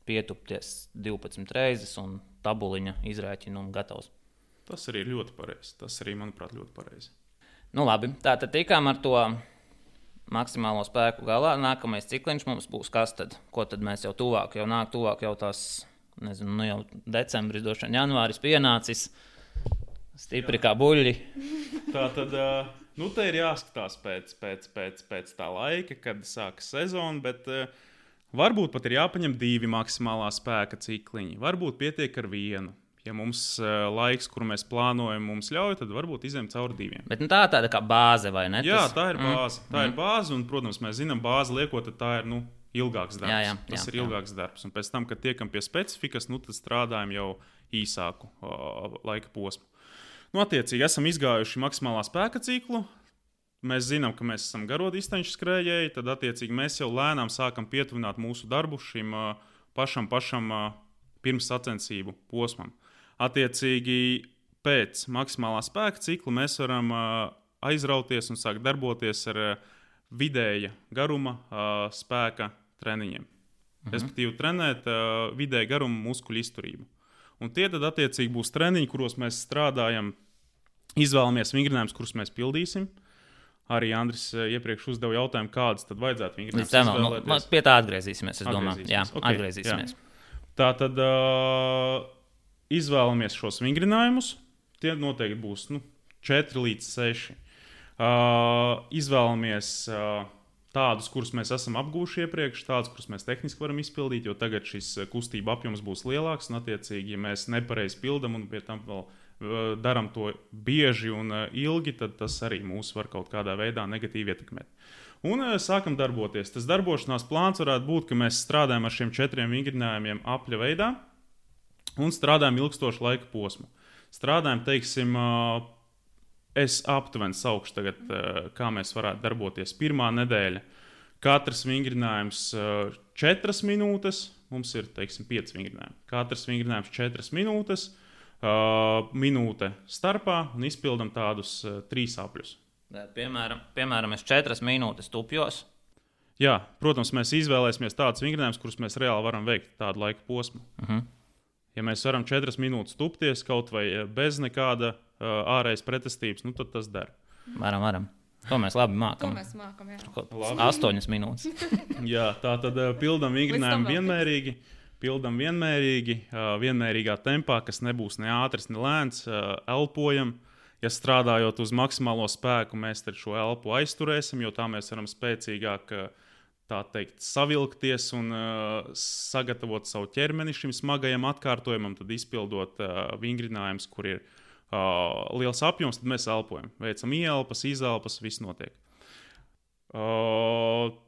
pietupties 12 reizes un tabuliņa izrēķinu un gatavs. Tas arī ir ļoti pareizi. Tas arī, manuprāt, ļoti pareizi. Labi, tātad tikām ar to maksimālo spēku galā. Nākamais cikliņš mums būs kas tad? Ko tad mēs jau tuvāk jau tās, jau decembris, droši vien janvāris pienācis. Stipri kā buļļi. Tā tad, te ir jāskatās pēc tā laika, kad sākas sezona, bet varbūt pat ir jāpaņem 2 maksimālā spēka cikliņi. Varbūt pietiek ar 1. Ja mums laiks, kuru mēs plānojam, mums ļauj, tad varbūt izējām cauri 2. Bet tā ir tāda kā bāze, vai ne? Jā, tā ir bāze. Tā ir bāze, un, protams, mēs zinām, bāzi liekot, tad tā ir ilgāks darbs. Tas ir ilgāks darbs. Un pēc tam, kad tiekam pie specifikas, tad strādājam jau īsāku laika posmu. Attiecīgi, esam izgājuši maksimālā spēka ciklu. Mēs zinām, ka mēs esam garo distanču skrējēji. Tad, attiecīgi, mēs jau lēnām sākam pietuvināt mūsu darbu šim pašam pirms sacensību posmam. Attiecīgi, pēc maksimālā spēka cikla mēs varam aizrauties un sākt darboties ar vidēja garuma spēka treniņiem. Respektīvi, trenēt vidēja garuma muskuļu izturību. Un tie tad, attiecīgi, būs treniņi, kuros mēs strādājam, izvēlamies vingrinājumus, kurus mēs pildīsim. Arī Andris iepriekš uzdeva jautājumu, kādas tad vajadzētu vingrinājumus izvēlēties. Pie tā atgriezīsimies, es domāju. Jā, atgriezīsimies. Tātad izvēlamies šos vingrinājumus. Tie noteikti būs 4 līdz 6. Izvēlamies tādus, kurus mēs esam apgūši iepriekš, tādus, kurus mēs tehniski varam izpildīt, jo tagad šis kustība apjoms būs lielāks. Un, attiecīgi, ja mēs nepareizi pildam un pie tam vēl darām to bieži un ilgi, tad tas arī mūs var kaut kādā veidā negatīvi ietekmēt. Un sākam darboties. Tas darbošanās plāns varētu būt, ka mēs strādājam ar šiem 4 vingrinājumiem apļa veidā un strādājam ilgstošu laika posmu. Strādājam, teiksim, es aptuveni saukšu tagad, kā mēs varētu darboties. Pirmā nedēļa. Katrs vingrinājums 4 minūtes. Mums ir, teiksim, 5 vingrinājumi. Katrs vingrinājums 4 minūtes. Minūte starpā un izpildam tādus 3 apļus. Piemēram, es 4 minūtes tupjos. Jā, protams, mēs izvēlēsimies tādus vingrinājumus, kurus mēs reāli varam veikt tādu laika posmu. Ja mēs varam 4 minūtes tupties kaut vai bez nekāda ārējas pretestības, tad tas der. Varam. To mēs labi mākam. To mēs mākam, jā. 8 minūtes. Jā, tā tad pildam vingrinājumu vienmērīgi. Vienmērīgā tempā, kas nebūs ne ātrs, ne lēns, elpojam. Ja strādājot uz maksimālo spēku, mēs šo elpu aizturēsim, jo tā mēs varam spēcīgāk savilkties un sagatavot savu ķermeni šim smagajam atkārtojumam, tad izpildot vingrinājumus, kur ir liels apjoms, tad mēs elpojam. Veicam ieelpas, izelpas, viss notiek.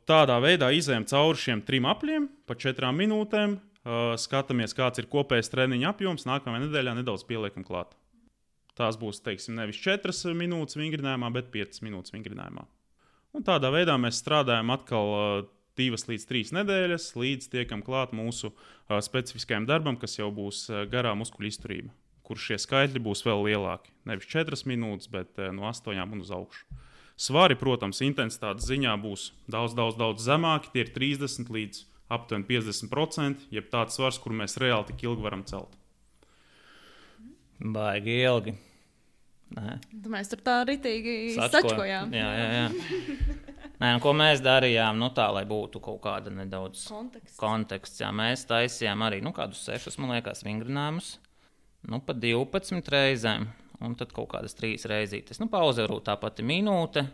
Tādā veidā izējam cauri šiem 3 apļiem pa 4 minūtēm, skatāmies, kāds ir kopējais treniņa apjoms, nākamajā nedēļā nedaudz pieliekam klāt. Tās būs, teiksim, nevis 4 minūtes vingrinājumā, bet 5 minūtes vingrinājumā. Un tādā veidā mēs strādājam atkal 2 līdz 3 nedēļas, līdz tiekam klāt mūsu specifiskajam darbam, kas jau būs garā muskuļu izturība, kur šie skaitļi būs vēl lielāki. Nevis 4 minūtes, bet no 8 un uz augšu. Svari, protams, intensitātes ziņā būs daudz zemāki, tie ir 30 līdz aptuveni 50%, jeb tāds svars, kur mēs reāli tik ilgi varam celt. Baigi ilgi. Mēs tur tā ritīgi sačkojām. Jā. Nē, ko mēs darījām, tā, lai būtu kaut kāda nedaudz konteksts. Jā, mēs taisījām arī kādus 6, man liekas, vingrinājumus, pa 12 reizēm, un tad kaut kādas 3 reizītes. Pauze varbūt tā pati minūte.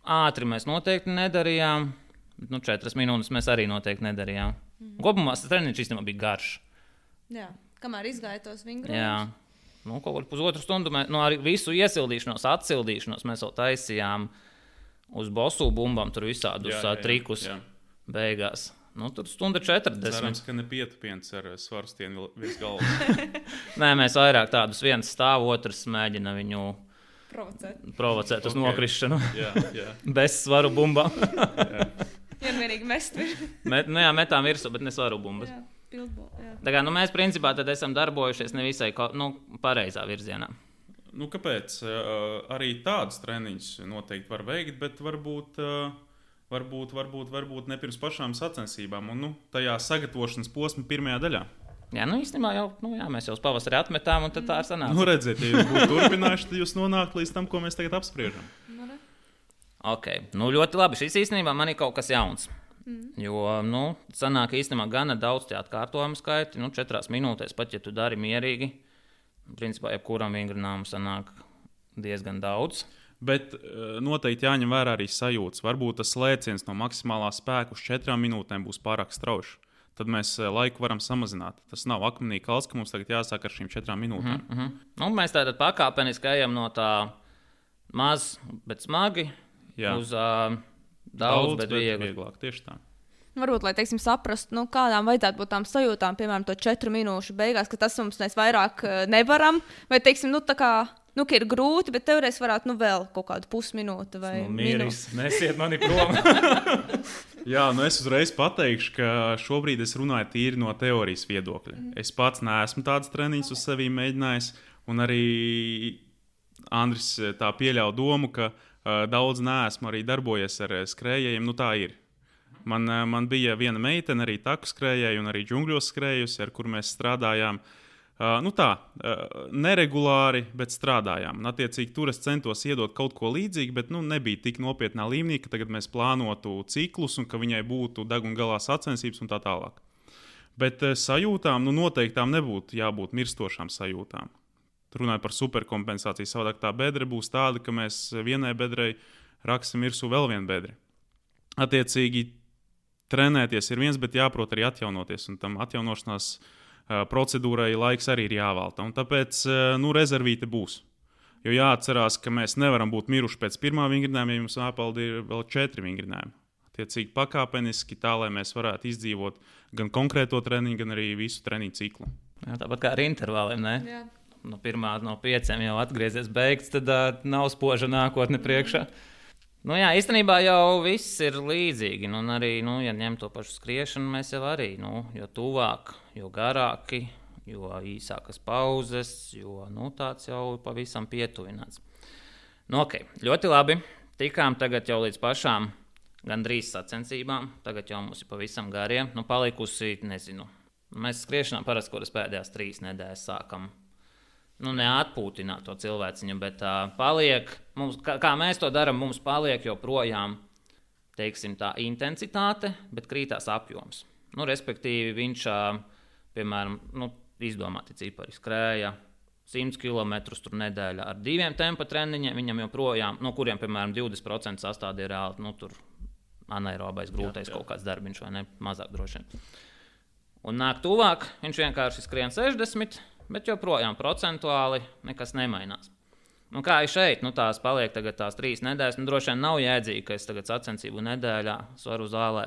Ātri mēs noteikti nedarījām, bet 4 minūtes mēs arī noteikti nedarījām. Kopumā tas treniņš īstenībā bija garš. Jā, kamēr izgāja tos vingrinājumus. Jā. Kaut kādu pusotru stundu arī visu iesildīšanos, atsildīšanos mēs vēl taisījām uz bosu bumbām, tur visādus trikus beigās. Tur 1:40. Cerams, ka ne pietupiens ar svarstienu virs galvas. Nē, mēs vairāk tādus viens stāv, otrs mēģina viņu provocēt uz nokrišanu. Jā. Bez svaru bumbām. Vienmērīgi mest virsū. Metām virsū, bet ne svaru bumbas. Tā kā mēs principā tad esam darbojušies nevisai pareizā virzienā. Kāpēc? Arī tādus treniņus noteikti var veikt, bet varbūt ne pirms pašām sacensībām un tajā sagatavošanas posma pirmajā daļā. Jā, īstenībā jau, mēs jau uz pavasari atmetām, un tad tā ir sanāca. Redziet, ja jūs būtu turpinājuši, tad jūs nonāktu līdz tam, ko mēs tagad apspriežam. Ok, ļoti labi. Šis īstenībā man ir kaut kas jauns. Jo, sanāk īstenībā gana daudz tie atkārtojumu skaiti, 4 minūtēs, pat ja tu dari mierīgi, principā jebkuram vingrinājumam sanāk diezgan daudz. Bet noteikti jāņem vērā arī sajūtas. Varbūt tas lēciens no maksimālā spēka uz 4 minūtēm būs pārāk strauji. Tad mēs laiku varam samazināt. Tas nav akmenī kalns, ka mums tagad jāsāk ar šīm 4 minūtēm. Mēs tātad pakāpeniski ejam no tā maz, bet smagi uz daudz, bet vieglāk. Tieši tā. Varbūt, lai saprastu, kādām vajadzētu būt tām sajūtām, piemēram, to 4 minūšu beigās, ka tas mums mēs vairāk nevaram, vai, tā kā, ka ir grūti, bet teorētiski varētu, vēl kaut kādu pusminūti vai minūti. Nesiet mani prom. Jā, es uzreiz pateikšu, ka šobrīd es runāju tīri no teorijas viedokļa. Es pats neesmu tāds treniņš uz sevi mēģinājis, un arī Andris tā pieļauj domu, ka daudz neesmu arī darbojies ar skrējējiem. Tā ir. Man bija viena meitene, arī taku skrējēja un arī džungļos skrējusi, ar kur mēs strādājām. Neregulāri, bet strādājām. Un, attiecīgi, tur es centos iedot kaut ko līdzīgu, bet nebija tik nopietnā līmenī, ka tagad mēs plānotu ciklus un ka viņai būtu deguna galā sacensības un tā tālāk. Bet sajūtām, noteiktām nebūtu jābūt mirstošām sajūtām. Runājot par superkompensāciju, savādāk tā bedre būs tāda, ka mēs vienai bedrei raksim virsū vēl vienu bedri. Attiecīgi, trenēties ir viens, bet jāprot arī atjaunoties, un tam atjaunošanās procedūrai laiks arī ir jāvalta. Un tāpēc rezervīte būs. Jo jāatcerās, ka mēs nevaram būt miruši pēc pirmā vingrinājuma, ja mums jāpalda ir vēl 4 vingrinājumi. Attiecīgi pakāpeniski tā, lai mēs varētu izdzīvot gan konkrēto treniņu, gan arī visu treniņu ciklu. Jā, tāpat kā ar intervāliem, ne? Jā. No 5 jau atgriezies beigts, tad nav spoža nākotne priekšā. Jā, īstenībā jau viss ir līdzīgi. Un arī, ja ņem to pašu skriešanu, mēs jau arī, jo tuvāk, jo garāki, jo īsākas pauzes, jo tāds jau pavisam pietuvināts. Okay, ļoti labi. Tikām tagad jau līdz pašām gandrīz sacensībām. Tagad jau mums ir pavisam garie. Palikusi, nezinu. Mēs skriešanā parasti, kuras pēdējās 3 nedēļas sākam. Neatpūtināt to cilvēciņu, bet paliek, mums, kā mēs to darām, mums paliek joprojām, teiksim, tā intensitāte, bet krītās apjoms. Respektīvi, viņš, piemēram, izdomāti cipari skrēja 100 km tur nedēļā ar 2 tempa treniņiem, viņam joprojām, no kuriem, piemēram, 20% sastāv ir reāli, tur anaerobais, grūtais kaut kāds darbiņš vai ne, mazāk droši vien. Un nāk tuvāk, viņš vienkārši skrien 60, bet joprojām procentuāli nekas nemainās. Kā ir šeit, tās paliek tagad tās 3 nedēļas, droši vien nav jēdzīgi, ka es tagad sacensību nedēļā svaru zālē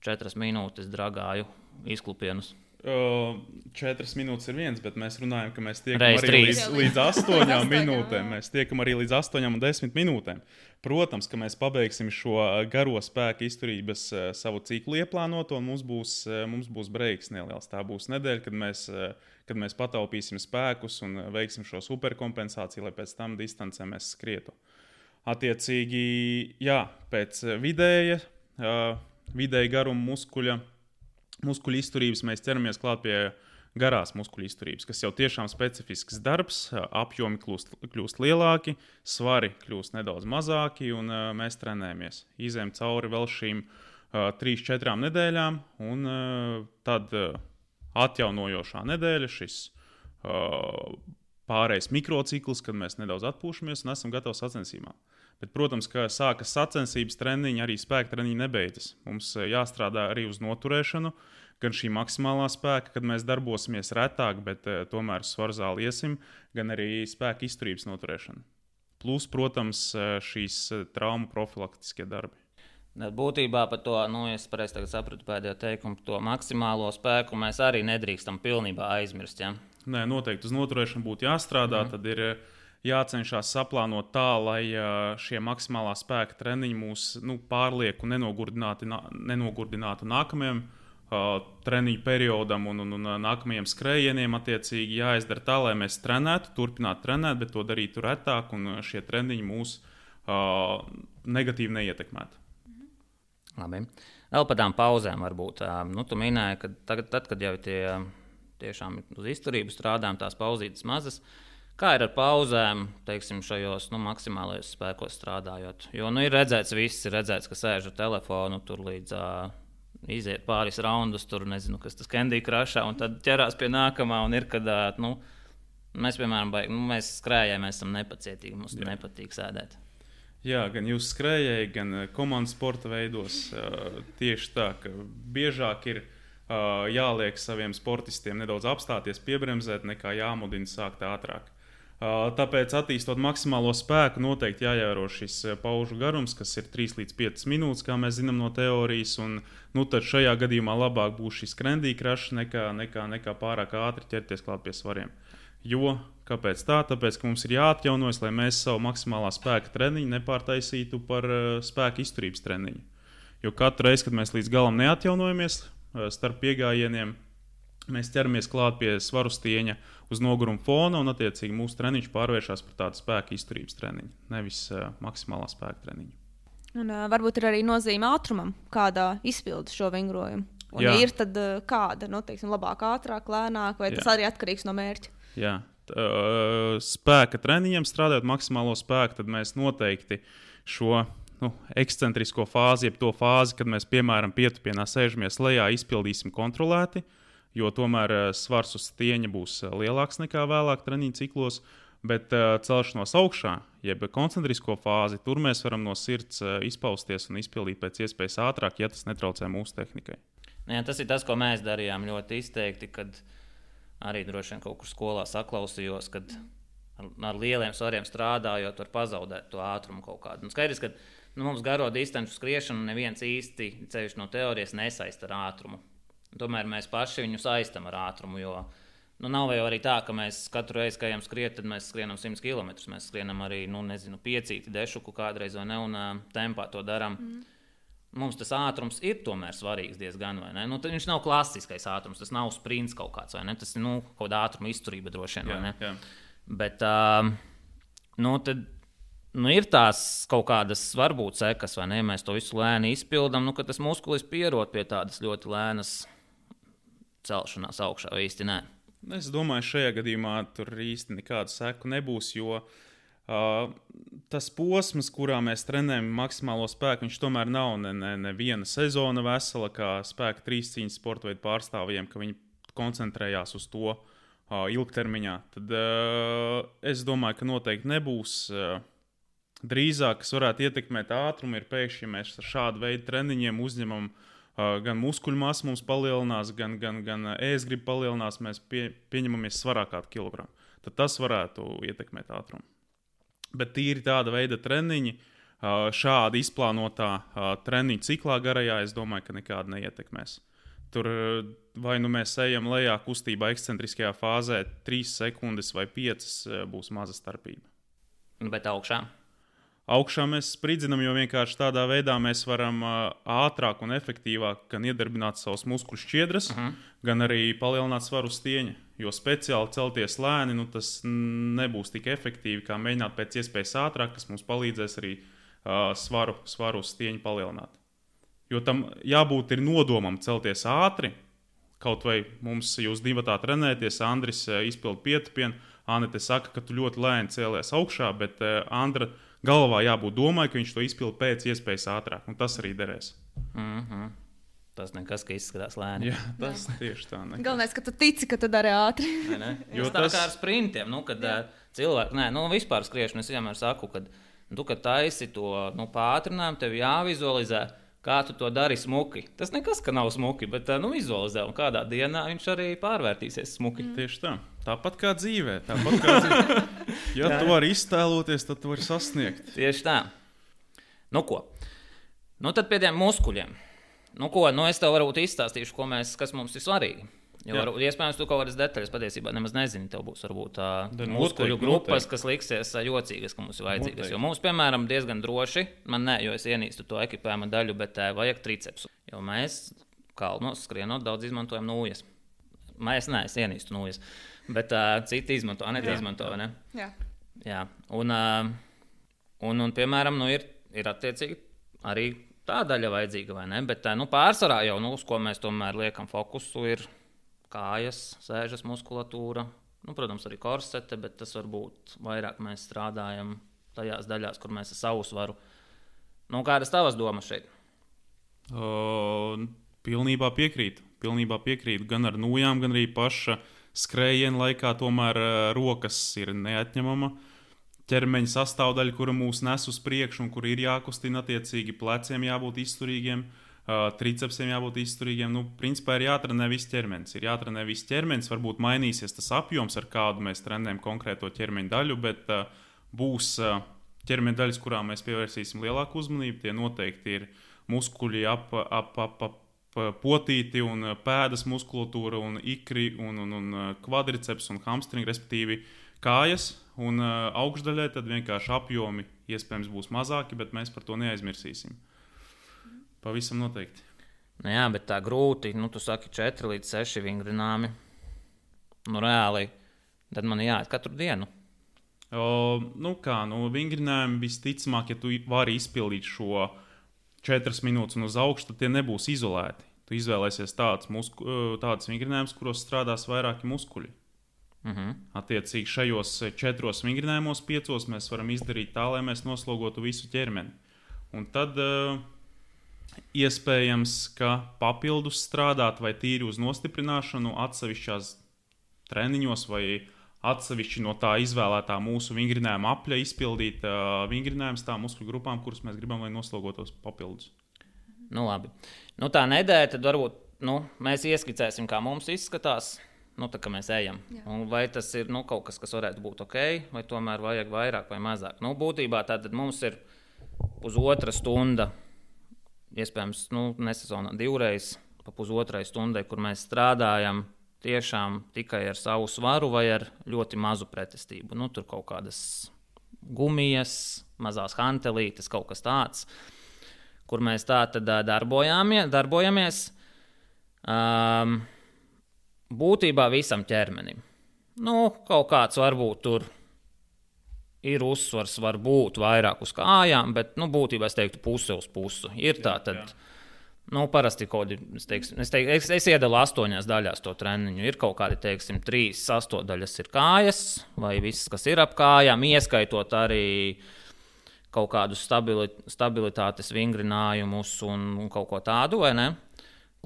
4 minūtes dragāju izklupienus. 4 minūtes ir viens, bet mēs runājam, ka mēs tiekam arī līdz 8 minūtēm. Mēs tiekam arī līdz 8 un 10 minūtēm. Protams, ka mēs pabeigsim šo garo spēka izturības savu ciklu ieplānoto, un mums būs breiks neliels. Tā būs nedēļa, kad mēs pataupīsim spēkus un veiksim šo superkompensāciju, lai pēc tam distancē mēs skrietu. Attiecīgi, jā, pēc vidēja garuma muskuļu izturības mēs ķeramies klāt pie garās muskuļu izturības, kas jau tiešām specifisks darbs, apjomi kļūst lielāki, svari kļūst nedaudz mazāki, un mēs trenējamies. Izējam cauri vēl šīm 3-4 nedēļām, un tad atjaunojošā nedēļa, šis pārējais mikrocikls, kad mēs nedaudz atpūšamies un esam gatavi sacensībām. Bet, protams, ka sākas sacensības treniņi, arī spēka treniņi nebeidzas. Mums jāstrādā arī uz noturēšanu, gan šī maksimālā spēka, kad mēs darbosimies retāk, bet tomēr svaru zāli iesim, gan arī spēka izturības noturēšana. Plus, protams, šīs traumu profilaktiskie darbi. Būtībā par to, es pareizi tagad sapratu pēdējo teikumu, to maksimālo spēku mēs arī nedrīkstam pilnībā aizmirst, ja? Nē, noteikti uz noturēšanu būtu jāstrādā, tad ir jācenšas saplānot tā, lai šie maksimālā spēka treniņi mūs pārlieku nenogurdinātu nākamajam treniņu periodam un nākamajiem skrējieniem. Attiecīgi jāizdara tā, lai mēs trenētu, turpinātu trenēt, bet to darītu retāk un šie treniņi mūs negatīvi neietekmētu. Labi. Vēl par tām pauzēm varbūt. Tu minēji, ka tad, kad jau tiešām uz izturību strādājam, tās pauzītes mazas. Kā ir ar pauzēm, teiksim, šajos maksimālajos spēkos strādājot? Jo ir redzēts, ka sēž ar telefonu tur līdz iziet pāris raundus, tur nezinu, kas tas Candy Crushā, un tad ķerās pie nākamā, un ir, kad mēs, piemēram, mēs skrējēji, mēs esam nepacietīgi, mums nepatīk sēdēt. Jā, gan jūs skrējēji, gan komandas sporta veidos tieši tā, ka biežāk ir jāliek saviem sportistiem nedaudz apstāties, piebremzēt, nekā jāmudina sākt ātrāk. Tāpēc, attīstot maksimālo spēku, noteikti jāievēro šis paužu garums, kas ir 3 līdz 5 minūtes, kā mēs zinām no teorijas. Un, tad šajā gadījumā labāk būs šis Candy Crush nekā pārāk ātri ķerties klāt pie svariem. Jo, kāpēc tā? Tāpēc, ka mums ir jāatjaunojas, lai mēs savu maksimālā spēka treniņu nepārtaisītu par spēka izturības treniņu. Jo katru reizi, kad mēs līdz galam neatjaunojamies starp piegājieniem, mēs ķeramies klāt pie svaru stieņa uz noguruma fona, un attiecīgi mūsu treniņš pārvēršas par tādu spēka izturības treniņu, nevis maksimālā spēka treniņu. Un varbūt ir arī nozīme ātrumam, kādā izpilda šo vingrojumu. Un Jā. Ir tad kāda, teiksim, labāk, ātrāk, lēnāk, vai tas arī atkarīgs no mērķa? Jā. Spēka treniņiem strādājot maksimālo spēku, tad mēs noteikti šo ekscentrisko fāzi, jeb to fāzi, kad mēs, piemēram, pietupienā sēžamies lejā, izpildīsim kontrolēti, jo tomēr svars uz stieņa būs lielāks nekā vēlāk treniņu ciklos, bet celšanos augšā, jeb koncentrisko fāzi, tur mēs varam no sirds izpausties un izpildīt pēc iespējas ātrāk, ja tas netraucē mūsu tehnikai. Jā, tas ir tas, ko mēs darījām ļoti izteikti, kad arī droši vien kaut kur skolā saklausījos, kad ar lieliem svariem strādājot, var pazaudēt to ātrumu kaut kādu. Un skaidrs, ka mums garo distanču skriešanu neviens īsti ceļš no teorijas nesaista ar ātrumu. Tomēr mēs paši viņu saistam ar ātrumu, jo nav jau arī tā, ka mēs katru reizi, kad ejam skriet, tad mēs skrienam 100 km. Mēs skrienam arī, 5 dešuku kādreiz vai ne, un tempā to darām. Mums tas ātrums ir tomēr svarīgs diezgan, vai ne? Viņš nav klasiskais ātrums, tas nav sprints kaut kāds, vai ne? Tas ir kaut kāda ātruma izturība droši vien, vai ne? Jā. Bet tad ir tās kaut kādas varbūt sekas, vai ne? Mēs to visu lēni izpildām, ka tas muskulis pierod pie tādas ļoti lēnas celšanās augšā, vai īsti nē? Es domāju, šajā gadījumā tur īsti nekādu seku nebūs, jo tas posms, kurā mēs trenējam maksimālo spēku, viņš tomēr nav neviena sezona vesela, kā spēka trīscīņas sporta veidu pārstāvjiem, ka viņi koncentrējās uz to ilgtermiņā. Tad es domāju, ka noteikti nebūs. Drīzāk, kas varētu ietekmēt ātrumu, ir pēkšņi, ja mēs ar šādu veidu treniņiem uzņemam gan muskuļu masu mums palielinās, gan ēstgriba palielinās, mēs pieņemamies svarā kādu kilogramu. Tad tas varētu ietekmēt ātrumu. Bet tīri tāda veida treniņi, šādi izplānotā treniņu ciklā garajā, es domāju, ka nekāda neietekmēs. Tur vai mēs ejam lejā kustībā ekscentriskajā fāzē 3 sekundes vai 5 būs maza starpība. Bet augšā? Augšā mēs spridzinam, jo vienkārši tādā veidā mēs varam ātrāk un efektīvāk gan iedarbināt savus muskuļu šķiedras, gan arī palielināt svaru uz stieņa. Jo speciāli celties lēni, tas nebūs tik efektīvi, kā mēģināt pēc iespējas ātrāk, kas mums palīdzēs arī svaru uz stieņa palielināt. Jo tam jābūt ir nodomam celties ātri, kaut vai mums jūs divatā trenēties, Andris izpild pietupienu, Anete saka, ka tu ļoti lēni cēlies augšā, bet Andra galvā jābūt domai, ka viņš to izpild pēc iespējas ātrāk, un tas arī derēs. Tas nekas, ka izskatās lēni. Jā, tas tieši tā. Nekas. Galvenais, ka tu tici, ka tu dari ātri. Jo tas tā kā ar sprintiem, kad cilvēki, vispār skriešanu, es vienmēr saku, kad taisi to pātrinājumu, tev jāvizualizē, kā tu to dari smuki. Tas nekas, ka nav smuki, bet vizualizē, un kādā dienā viņš arī pārvērtīsies smuki. Tieši tā. Tāpat kā dzīvē. Ja tu vari iztēloties, tad tu vari sasniegt. Tieši tā. Ko? Tad pie tiem muskuļiem. Es tev varbūt izstāstīšu, kas mums ir svarīgi. Jo iespējams, tu kaut kādas detaļas patiesībā nemaz nezini. Tev būs varbūt muskuļu grupas, kas liksies jocīgas, ka mums ir vajadzīgas. Jo mums, piemēram, diezgan droši, jo es ienīstu to ekipējuma daļu, bet vajag tricepsu. Jo mēs kalnos skrienot daudz izmantojam nūjas. Es ienīstu nūjas, bet citi izmanto, Anete izmanto, vai ne? Jā. Un piemēram, ir attiecīgi arī tā daļa vajadzīga, vai ne? Bet pārsvarā jau, uz ko mēs tomēr liekam fokusu, ir kājas, sēžas muskulatūra, protams, arī korsete, bet tas varbūt vairāk mēs strādājam tajās daļās, kur mēs ar savu svaru. Kādas tavas domas šeit? Pilnībā piekrītu. Gan ar nūjām, gan arī paša skrējiena laikā tomēr rokas ir neatņemama ķermeņa sastāvdaļa, kura mūs nes uz priekšu un kur ir jākustina attiecīgi, pleciem jābūt izturīgiem, tricepsiem jābūt izturīgiem. Principā ir jātrenē viss ķermenis. Varbūt mainīsies tas apjoms, ar kādu mēs trenējam konkrēto ķermeņa daļu, bet būs ķermeņa daļas, kurām mēs pievērsīsim lielāku uzmanību. Tie noteikti ir muskuļi ap potīti un pēdas muskulatūra un ikri un kvadriceps un hamstringi, respektīvi kājas. Un augšdaļai tad vienkārši apjomi iespējams būs mazāki, bet mēs par to neaizmirsīsim. Pavisam noteikti. Jā, bet tā grūti. Tu saki 4 līdz 6 vingrināmi. Reāli, tad man jāiet katru dienu. Vingrinājumi visticamāk, ja tu vari izpildīt šo 4 minūtes un uz augšu, tad tie nebūs izolēti. Tu izvēlēsies tādas vingrinājumus, kuros strādās vairāki muskuļi. Attiecīgi šajos 4 vingrinājumos 5 mēs varam izdarīt tā, lai mēs noslogotu visu ķermeni. Un tad iespējams, ka papildus strādāt vai tīri uz nostiprināšanu atsevišķās treniņos vai atsevišķi no tā izvēlētā mūsu vingrinājuma apļa izpildīt vingrinājumus tām muskuļu grupām, kuras mēs gribam, lai noslogotos papildus. Nu, labi. Nu, tā nedēļa, tad varbūt mēs ieskicēsim, kā mums izskatās, tā kā mēs ejam. Un vai tas ir kaut kas, kas varētu būt ok, vai tomēr vajag vairāk vai mazāk. Būtībā tātad mums ir pusotra stunda, iespējams, nesezonā 2 reizes pa pusotrai stundai, kur mēs strādājam tiešām tikai ar savu svaru vai ar ļoti mazu pretestību. Tur kaut kādas gumijas, mazās hantelītes, kaut kas tāds, kur mēs tā tad darbojamies. Būtībā visam ķermenim. Kaut kāds varbūt tur ir uzsvars, varbūt vairāk uz kājām, bet būtībā es teiktu puse uz pusi. Ir tā tad, parasti kaut kādi, es iedalu 8 daļās to treniņu. Ir kaut kādi, 3 sastāvdaļas ir kājas, vai viss, kas ir ap kājām, ieskaitot arī kaut kādus stabilitātes vingrinājumus un kaut ko tādu, vai ne?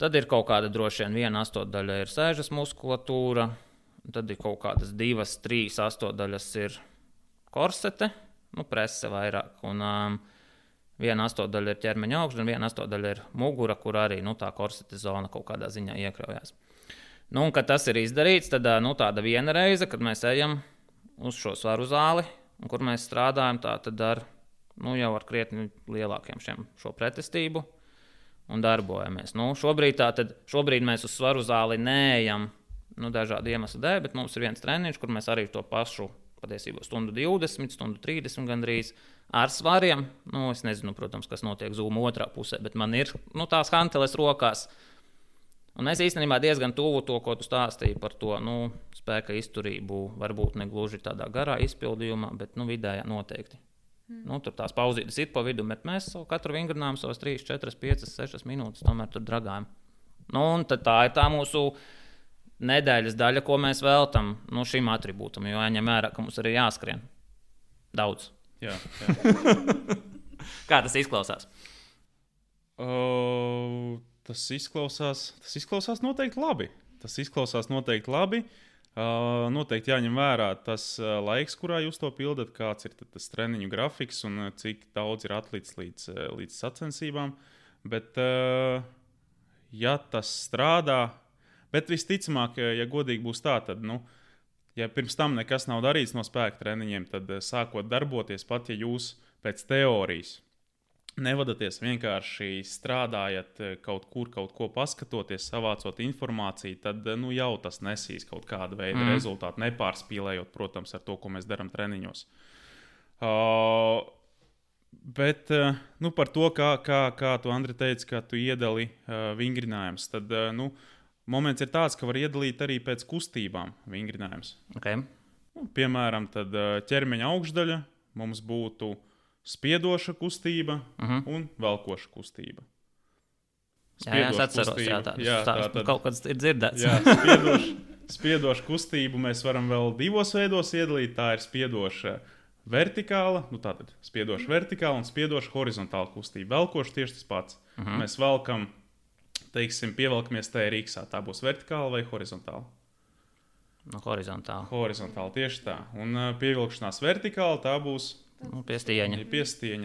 Tad ir kaut kāda droši vien 1 sastāvdaļa ir sēžas muskulatūra, tad ir kaut kādas 2, 3 sastāvdaļas ir korsete, prese vairāk, un 1 sastāvdaļa ir ķermeņa augšdaļa, un 1 sastāvdaļa ir mugura, kur arī tā korsete zona kaut kādā ziņā iekļaujās. Un, kad tas ir izdarīts, tad tāda viena reize, kad mēs ejam uz šo svaru zāli, un kur mēs strādājam tad ar, jau ar krietni lielākiem šo pretestību, un darbojamies. Šobrīd mēs uz svaru zāli neejam dažādu iemeslu dēļ, bet mums ir viens treniņš, kur mēs arī to pašu patiesībā 1:20, 1:30 gandrīz ar svariem. Es nezinu, protams, kas notiek Zoom otrā pusē, bet man ir tās hanteles rokās. Un mēs īstenībā diezgan tuvu to, ko tu stāstīji par to spēka izturību, varbūt ne gluži tādā garā izpildījumā, bet vidējā noteikti. Tur tās pauzītes ir pa vidu, bet mēs katru vingrinājumu savas 3, 4, 5, 6 minūtes tomēr tur dragājam. Un tad tā ir tā mūsu nedēļas daļa, ko mēs veltam šim atribūtam, jo jāņem vērā, ka mums arī jāskrien. Daudz. Jā. Kā tas izklausās? Tas izklausās noteikti labi. Noteikti jāņem vērā tas laiks, kurā jūs to pildat, kāds ir tas treniņu grafiks un cik daudz ir atlicis līdz sacensībām. Bet, ja tas strādā, bet visticamāk, ja godīgi būs tā, tad, ja pirms tam nekas nav darīts no spēka treniņiem, tad sākot darboties, pat ja jūs pēc teorijas nevadaties, vienkārši strādājat kaut ko paskatoties, savācot informāciju, tad jau tas nesīs kaut kādu veidu rezultātu, nepārspīlējot, protams, ar to, ko mēs darām treniņos. Bet par to, kā tu, Andri, teici, ka tu iedali vingrinājumus, tad moments ir tāds, ka var iedalīt arī pēc kustībām vingrinājumus. Okay. Piemēram, tad ķermeņa augšdaļa mums būtu spiedoša kustība un velkoša kustība. Jā, es atceros, kaut kas ir dzirdēts. Jā, spiedoša kustību mēs varam vēl 2 veidos iedalīt. Tā ir spiedoša vertikāla, tātad spiedoša vertikāla un spiedoša horizontāla kustība. Velkoša tieši tas pats. Mēs velkam, pievelkamies TRX, tā būs vertikāla vai horizontāla? Horizontāla. Horizontāla, tieši tā. Un pievilkšanās vertikāla, tā būs Piestieņa,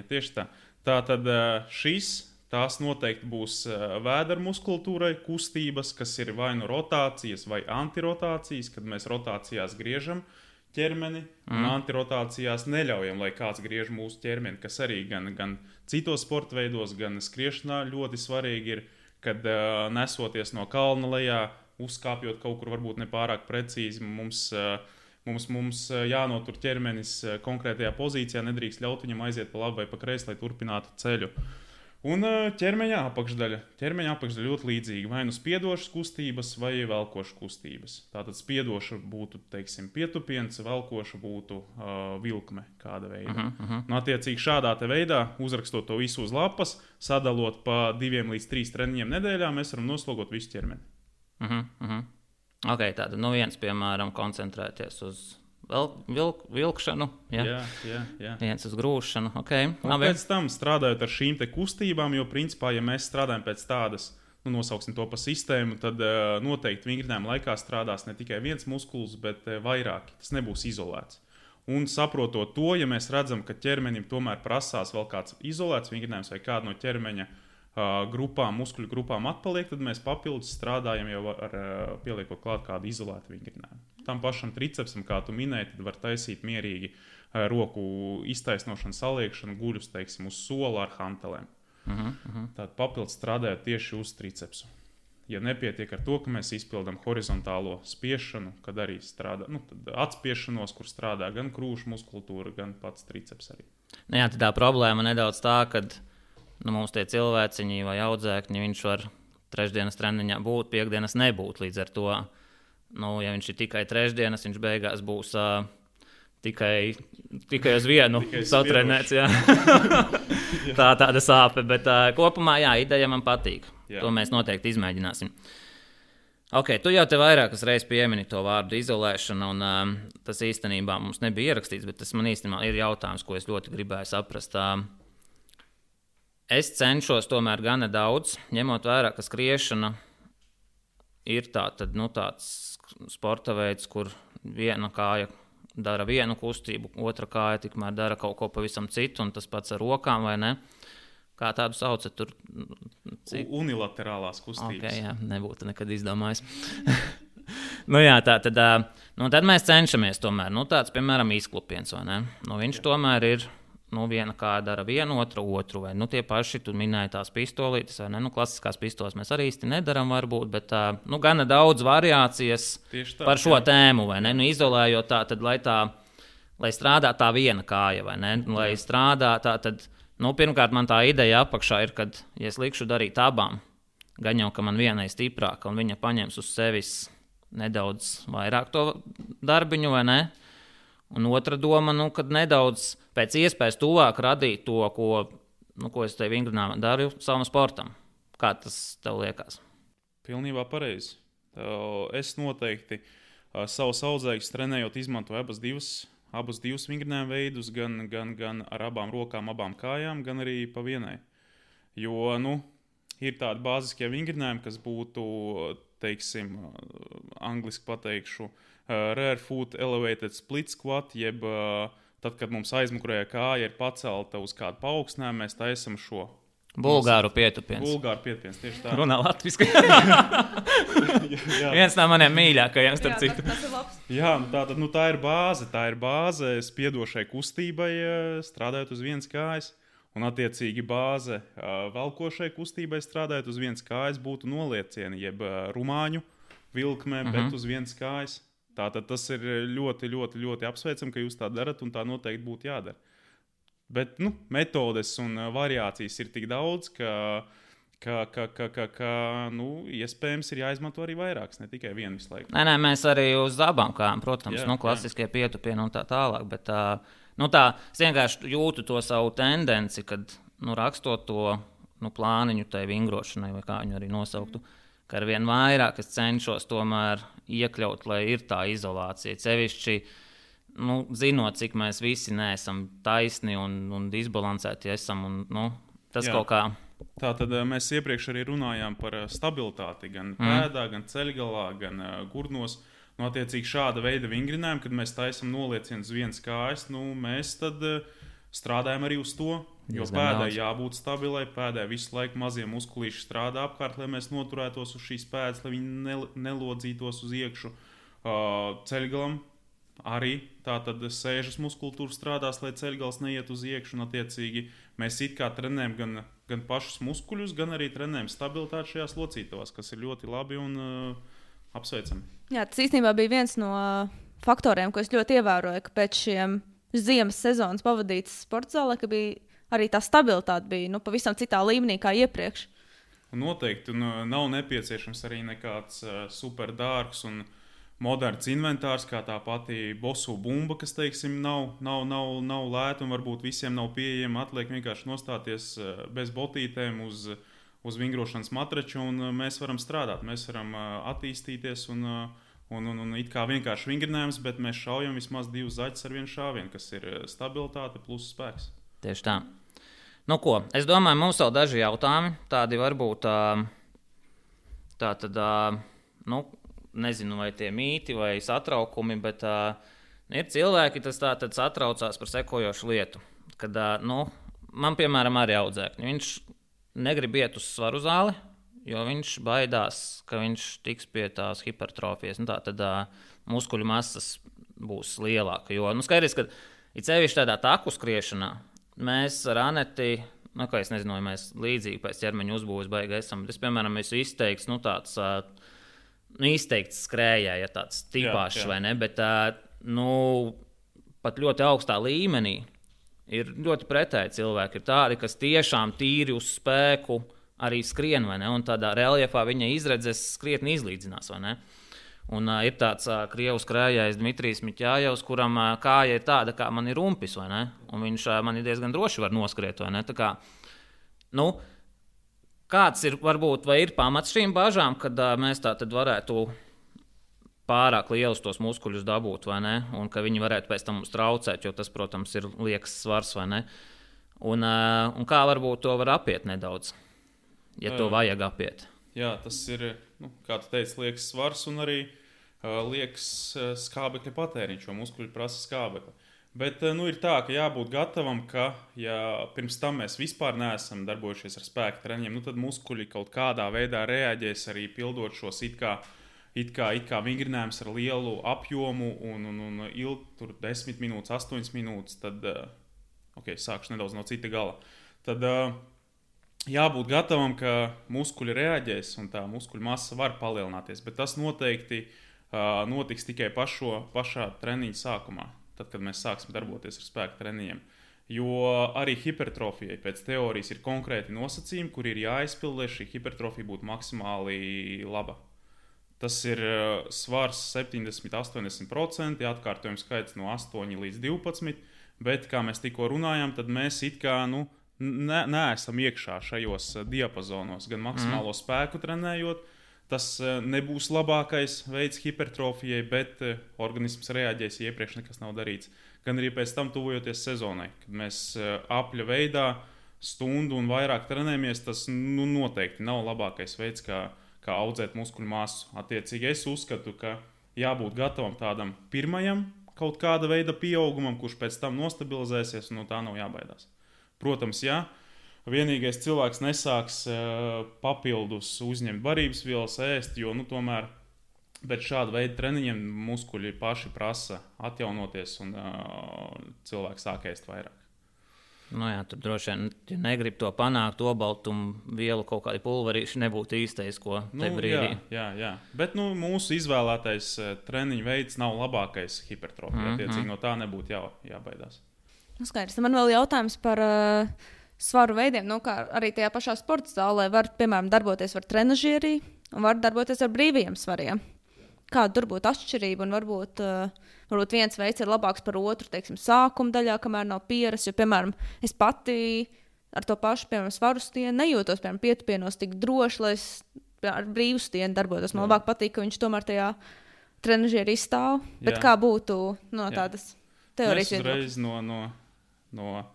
tieši tā. Tātad tās noteikti būs vēdera muskultūrai kustības, kas ir vai rotācijas vai antirotācijas, kad mēs rotācijās griežam ķermeni, un antirotācijās neļaujam, lai kāds griež mūsu ķermeni, kas arī gan citos sporta veidos, gan skriešanā ļoti svarīgi ir, kad nesoties no kalna lejā, uzkāpjot kaut kur varbūt nepārāk precīzi, Mums jānotur ķermenis konkrētajā pozīcijā, nedrīkst ļaut viņam aiziet pa labi vai pa kreisi, lai turpinātu ceļu. Un ķermeņa apakšdaļa. Ķermeņa apakšdaļa ļoti līdzīga. Vai spiedošas kustības vai velkošas kustības. Tātad spiedoša būtu, pietupiens, velkoša būtu vilkme kāda veida. Attiecīgi šādā veidā, uzrakstot to visu uz lapas, sadalot pa 2 līdz 3 treniņiem nedēļā, mēs varam noslogot visu ķermeni. Ok, tātad viens, piemēram, koncentrēties uz vilkšanu, Jā. viens uz grūšanu. Okay. Pēc tam strādājot ar šīm te kustībām, jo principā, ja mēs strādājam pēc tādas, nosauksim to pa sistēmu, tad noteikti vingrinājuma laikā strādās ne tikai viens muskulis, bet vairāki. Tas nebūs izolēts. Un saprotot to, ja mēs redzam, ka ķermenim tomēr prasās vēl kāds izolēts vingrinājums vai kāda no ķermeņa muskuļu grupām atpaliek, tad mēs papildus strādājam jau ar pieliekot klāt kādu izolētu vingrinājumu. Tam pašam tricepsam, kā tu minēji, tad var taisīt mierīgi roku iztaisnošanu, saliekšanu, guļus, teiksim, uz sola ar hantelēm. Tātad papildus strādājot tieši uz tricepsu. Ja nepietiek ar to, ka mēs izpildām horizontālo spiešanu, kad arī strādā atspiešanos, kur strādā gan krūšu muskultūra, gan pats triceps arī. Jā, tā problēma nedaudz tā, ka mums tie cilvēciņi vai audzēkņi, viņš var trešdienas treniņā būt, piekdienas nebūt. Līdz ar to, ja viņš ir tikai trešdienas, viņš beigās būs tikai uz vienu satrenēts. Tāda sāpe, bet kopumā ideja man patīk. Jā. To mēs noteikti izmēģināsim. Okay, tu jau te vairākas reizes piemini to vārdu izolēšana, un tas īstenībā mums nebija ierakstīts, bet tas man īstenībā ir jautājums, ko es ļoti gribēju saprast. Es cenšos tomēr gana daudz, ņemot vērā, ka skriešana ir tāds sporta veids, kur viena kāja dara vienu kustību, otra kāja tikmēr dara kaut ko pavisam citu, un tas pats ar rokām, vai ne? Kā tādu saucat tur? Unilaterālās kustības. Okay, jā, nebūtu nekad izdomājis. Tad mēs cenšamies tomēr, tāds, piemēram, izklupiens, vai ne? Viņš tomēr ir, viena kāja dara vienu, otru, vai tie paši, tu minēji tās pistolītes, vai ne? Klasiskās pistoles mēs arī īsti nedaram varbūt, bet gana daudz variācijas par šo tēmu, vai ne? Izolējot tā, tad, lai strādā tā viena kāja, vai ne? Lai strādā tā, tad, pirmkārt, man tā ideja apakšā ir, kad, ja es likšu darīt abām, gan jau, ka man vienai stiprāka, un viņa paņems uz sevis nedaudz vairāk to darbiņu, vai ne? Un otra doma, kad nedaudz pēc iespējas tuvāk radīt to, ko es te vingrinājumā daru savam sportam. Kā tas tev liekas? Pilnībā pareizi. Es noteikti savus audzēkņus trenējot izmantoju abus divus vingrinājuma veidus, gan ar abām rokām, abām kājām, gan arī pa vienai. Jo, ir tādi bāziskie vingrinājumi, kas būtu, teiksim, angliski pateikšu, rear foot elevated split squat, jeb tad, kad mums aizmugurējā kāja ir pacelta uz kādu paaugstinājumu, mēs taisam šo. Bulgāru pietupiens. Tieši tā. Runā latviski. Viens no maniem mīļākajiem, starp citu. Tas ir labs. Jā, tā ir bāze. Tā ir bāze spiedošai kustībai, strādājot uz vienas kājas. Un attiecīgi bāze velkošai kustībai strādājot uz vienas kājas būtu noliecieni, jeb rumāņu vilkmē, bet uz vienas kājas. Tātad tas ir ļoti, ļoti, ļoti apsveicam, ka jūs tā darat, un tā noteikti būtu jādara. Bet metodes un variācijas ir tik daudz, ka iespējams ir jāizmanto arī vairākas, ne tikai vienu visu laiku. Nē, mēs arī uz abām kājām, protams, klasiskie pietupieni un tā tālāk, bet es vienkārši jūtu to savu tendenci, kad rakstot to plāniņu tai vingrošanai, vai kā viņu arī nosauktu, ka ar vien vairāk es cenšos tomēr iekļaut, lai ir tā izolācija. Sevišķi, zinot, cik mēs visi neesam taisni un disbalansēti esam. Tas kaut kā. Tātad mēs iepriekš arī runājām par stabilitāti gan pēdā, gan ceļgalā, gan gurnos. Attiecīgi šāda veida vingrinājumu, kad mēs taisam noliecienus uz vienas kājas, mēs tad strādājam arī uz to. Jo pēdai jābūt stabilai, pēdai visu laiku mazie muskulīši strādā apkārt, lai mēs noturētos uz šīs pēdas, lai viņi nelodzītos uz iekšu. Ceļgalam arī tātad sēžas muskultūra strādās, lai ceļgals neiet uz iekšu. Un attiecīgi mēs it kā trenējam gan pašus muskuļus, gan arī trenējam stabilitāti šajās locītavās, kas ir ļoti labi un apsveicami. Jā, tas īstenībā bija viens no faktoriem, ko es ļoti ievēroju, ka pēc šiem ziemas sezonas pavadītas sporta zālē, ka bija arī tā stabilitāte bija pavisam citā līmenī kā iepriekš. Noteikti. Nav nepieciešams arī nekāds super dārgs un moderns inventārs, kā tā pati bosu bumba, kas, teiksim, nav lēta un varbūt visiem nav pieejama. Atliek vienkārši nostāties bez botītēm uz vingrošanas matraču, un mēs varam strādāt, mēs varam attīstīties un Un it kā vienkārši vingrinājums, bet mēs šaujam vismaz 2 zaķus ar vienu šāvienu, kas ir stabilitāte plus spēks. Tieši tā. Nu ko, es domāju, mums vēl daži jautājumi, tādi varbūt nezinu, vai tie mīti vai satraukumi, bet ir cilvēki, kas tātad satraucās par sekojošu lietu. Kad, man, piemēram, arī audzēkņi, viņš negrib iet uz svaru zāli, jo viņš baidās, ka viņš tiks pie tās hipertrofijas. Tad muskuļu masas būs lielāka. Jo skaidrs, ka it sevišķi tādā taku skriešanā mēs ar Aneti, kā es nezinu, vai mēs līdzīgi pēc ķermeņa uzbūves baigi esam, bet es, piemēram, esmu izteikts, tāds izteikts skrējēja, tāds tipāšs, vai ne, bet pat ļoti augstā līmenī ir ļoti pretēji cilvēki. Ir tādi, kas tiešām tīri uz spēku arī skrien, vai ne, un tādā reliefā viņa izredzes krietni izlīdzinās, vai ne. Un ir tāds krievu skrējējs Dmitrijs Miķājevs, kuram kāja ir tāda, kā man ir rumpis, vai ne, un viņš man diezgan droši var noskriet, vai ne. Tā kā, kāds ir, varbūt, vai ir pamats šīm bažām, kad mēs tā tad varētu pārāk lielus tos muskuļus dabūt, vai ne, un ka viņi varētu pēc tam mums traucēt, jo tas, protams, ir liekas svars, vai ne. Un kā varbūt to var apiet nedaudz, ja to vajag apiet. Jā, tas ir, kā tu teici, liekas svars un arī liekas skābekļa patēriņš, jo muskuļi prasa skābekli. Bet ir tā, ka jābūt gatavam, ka ja pirms tam mēs vispār neesam darbojušies ar spēka treniņiem, tad muskuļi kaut kādā veidā reaģēs arī pildot šos it kā vingrinājums ar lielu apjomu un ilgi tur 10 minūtes, 8 minūtes, tad, sākšu nedaudz no cita gala. Tad jābūt gatavam, ka muskuļi reaģēs un tā muskuļu masa var palielināties, bet tas noteikti notiks tikai pašā treniņa sākumā, tad, kad mēs sāksim darboties ar spēka treniņiem. Jo arī hipertrofijai pēc teorijas ir konkrēti nosacījumi, kur ir jāizpild, lai šī hipertrofija būtu maksimāli laba. Tas ir svars 70–80%, atkārtojumu skaits no 8 līdz 12, bet, kā mēs tikko runājām, tad mēs it kā, neesam iekšā šajos diapazonos, gan maksimālo spēku trenējot. Tas nebūs labākais veids hipertrofijai, bet organisms reaģēs, ja iepriekš nekas nav darīts. Gan arī pēc tam tuvojoties sezonai, kad mēs apļa veidā stundu un vairāk trenējamies, tas noteikti nav labākais veids, kā audzēt muskuļu masu. Attiecīgi es uzskatu, ka jābūt gatavam tādam pirmajam kaut kāda veida pieaugumam, kurš pēc tam nostabilizēsies un no tā nav jābaidās. Protams, jā, vienīgais cilvēks nesāks papildus uzņemt barības vielas ēst, jo tomēr bet šāda veida treniņiem muskuļi paši prasa atjaunoties un cilvēks sāk ēst vairāk. Jā, tur droši vien, ja negrib to panākt, obaltumu vielu kaut kādi pulverīši nebūtu īstais, ko te brīdī. Jā. Bet mūsu izvēlētais treniņu veids nav labākais hipertrofija. Attiecīgi no tā nebūtu jābaidās. Skaidrs. Man vēl jautājums par svaru veidiem. Kā arī tajā pašā sporta zālē var, piemēram, darboties ar trenažierī un var darboties ar brīvajiem svariem. Kāda tur būtu atšķirība un varbūt viens veids ir labāks par otru, teiksim, sākuma daļā, kamēr nav pieras, jo, piemēram, es pati ar to pašu, piemēram, svaru stieni nejūtos, piemēram, pietupienos tik droši, lai es ar brīvu stieni darbotos. Man labāk patīk, ka viņš tomēr tajā trenažierī stāv, bet kā būtu tādas teorijas viedokļas? No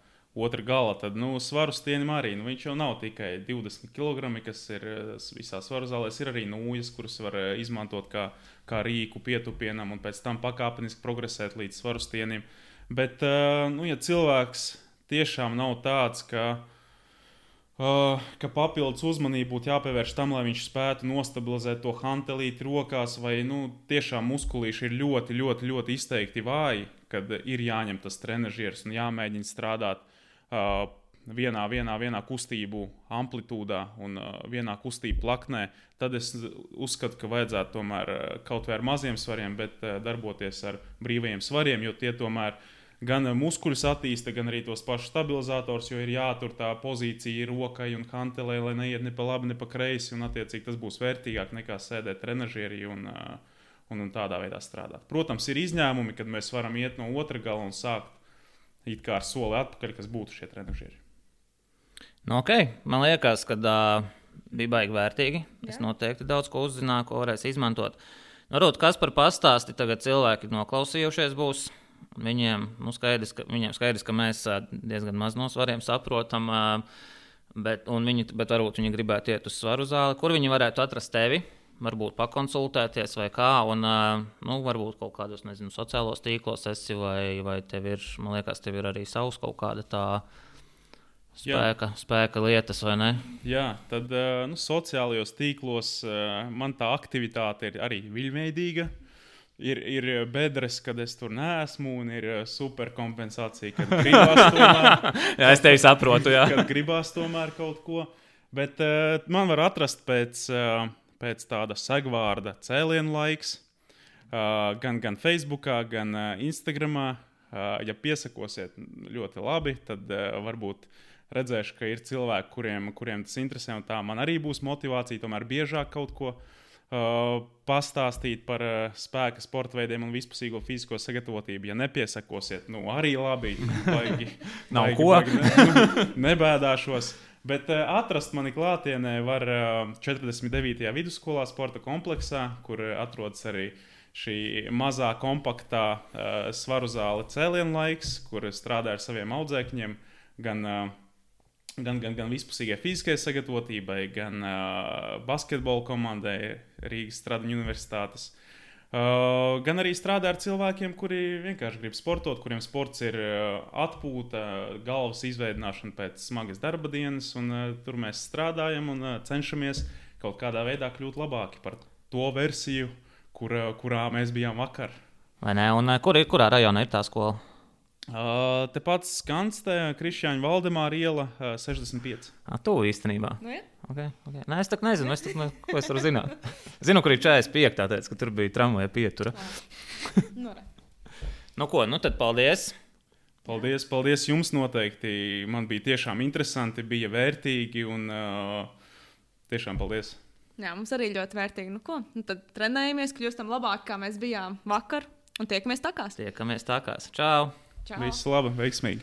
otra gala, tad svaru stienim arī, viņš jau nav tikai 20 kg, kas ir visā svaru zālēs, ir arī nūjas, kuras var izmantot kā rīku pietupienam un pēc tam pakāpeniski progresēt līdz svaru stienim. Bet, ja cilvēks tiešām nav tāds, ka papildus uzmanību būtu jāpievērš tam, lai viņš spētu nostabilizēt to hantelīti rokās, vai tiešām muskulīši ir ļoti, ļoti, ļoti izteikti vāji, kad ir jāņem tas trenažieris un jāmēģina strādāt vienā kustību amplitūdā un vienā kustību plaknē, tad es uzskatu, ka vajadzētu tomēr kaut vai ar maziem svariem, bet darboties ar brīvajiem svariem, jo tie tomēr gan muskuļus attīsta, gan arī tos pašus stabilizators, jo ir jātur tā pozīcija rokai un hantelē, lai neiet ne pa labi, ne pa kreisi, un attiecīgi tas būs vērtīgāk nekā sēdēt trenažierī un tādā veidā strādāt. Protams, ir izņēmumi, kad mēs varam iet no otra gala un sākt it kā ar soli atpakaļ, kas būtu šie trenažieri. Man liekas, ka bija baigi vērtīgi. Es noteikti daudz ko uzzināju, ko varēs izmantot. Varbūt kas par pastāsti tagad cilvēki noklausījušies būs. Viņiem skaidrs, ka mēs diezgan maz no svariem saprotam, bet varbūt viņi gribētu iet uz svaru zāli. Kur viņi varētu atrast tevi? Varbūt pakonsultēties vai kā, un varbūt kaut kādos, sociālos tīklos esi, vai tev ir, man liekas, tev ir arī savs kaut kāda tā spēka lietas, vai ne? Jā, tad sociālajos tīklos man tā aktivitāte ir arī viļņveidīga. Ir bedres, kad es tur neesmu, un ir superkompensācija, kad gribās tomēr. Jā, es tevi saprotu, jā. Kad gribās tomēr kaut ko. Bet man var atrast pēc tāda segvārda cēlienu laiks, gan Facebookā, gan Instagramā. Ja piesakosiet ļoti labi, tad varbūt redzēšu, ka ir cilvēki, kuriem tas interesē, un tā man arī būs motivācija tomēr biežāk kaut ko pastāstīt par spēka sporta veidiem un vispusīgo fizisko sagatavotību. Ja nepiesakosiet, arī labi. Nav ko. Nebēdāšos. Bet atrast mani klātienē var 49. vidusskolā sporta kompleksā, kur atrodas arī šī mazā kompaktā svaru zāle cēlienu laiks, kur strādā ar saviem audzēkņiem, gan vispusīgai fiziskai sagatavotībai, gan basketbola komandai Rīgas Stradiņu universitātes. Gan arī strādā ar cilvēkiem, kuri vienkārši grib sportot, kuriem sports ir atpūta, galvas izveidināšana pēc smagas darba dienas, un tur mēs strādājam un cenšamies kaut kādā veidā kļūt labāki par to versiju, kurā mēs bijām vakar. Vai ne? Un kurā rajonā ir tā skola? Tepat Skanstē, Krišjāņa Valdemāra iela 65. Tu īstenībā. Nu, ja? Okay. Nē, es tā nezinu, ko es varu zināt. Zinu, kur ir 45. Teica, ka tur bija tramvaja pietura. Tad paldies. Paldies jums noteikti. Man bija tiešām interesanti, bija vērtīgi un tiešām paldies. Jā, mums arī ļoti vērtīgi. Tad trenējamies, kļūstam labāk, kā mēs bijām vakar, un tiekamies takās. Čau! Viss labi, veiksmīgi!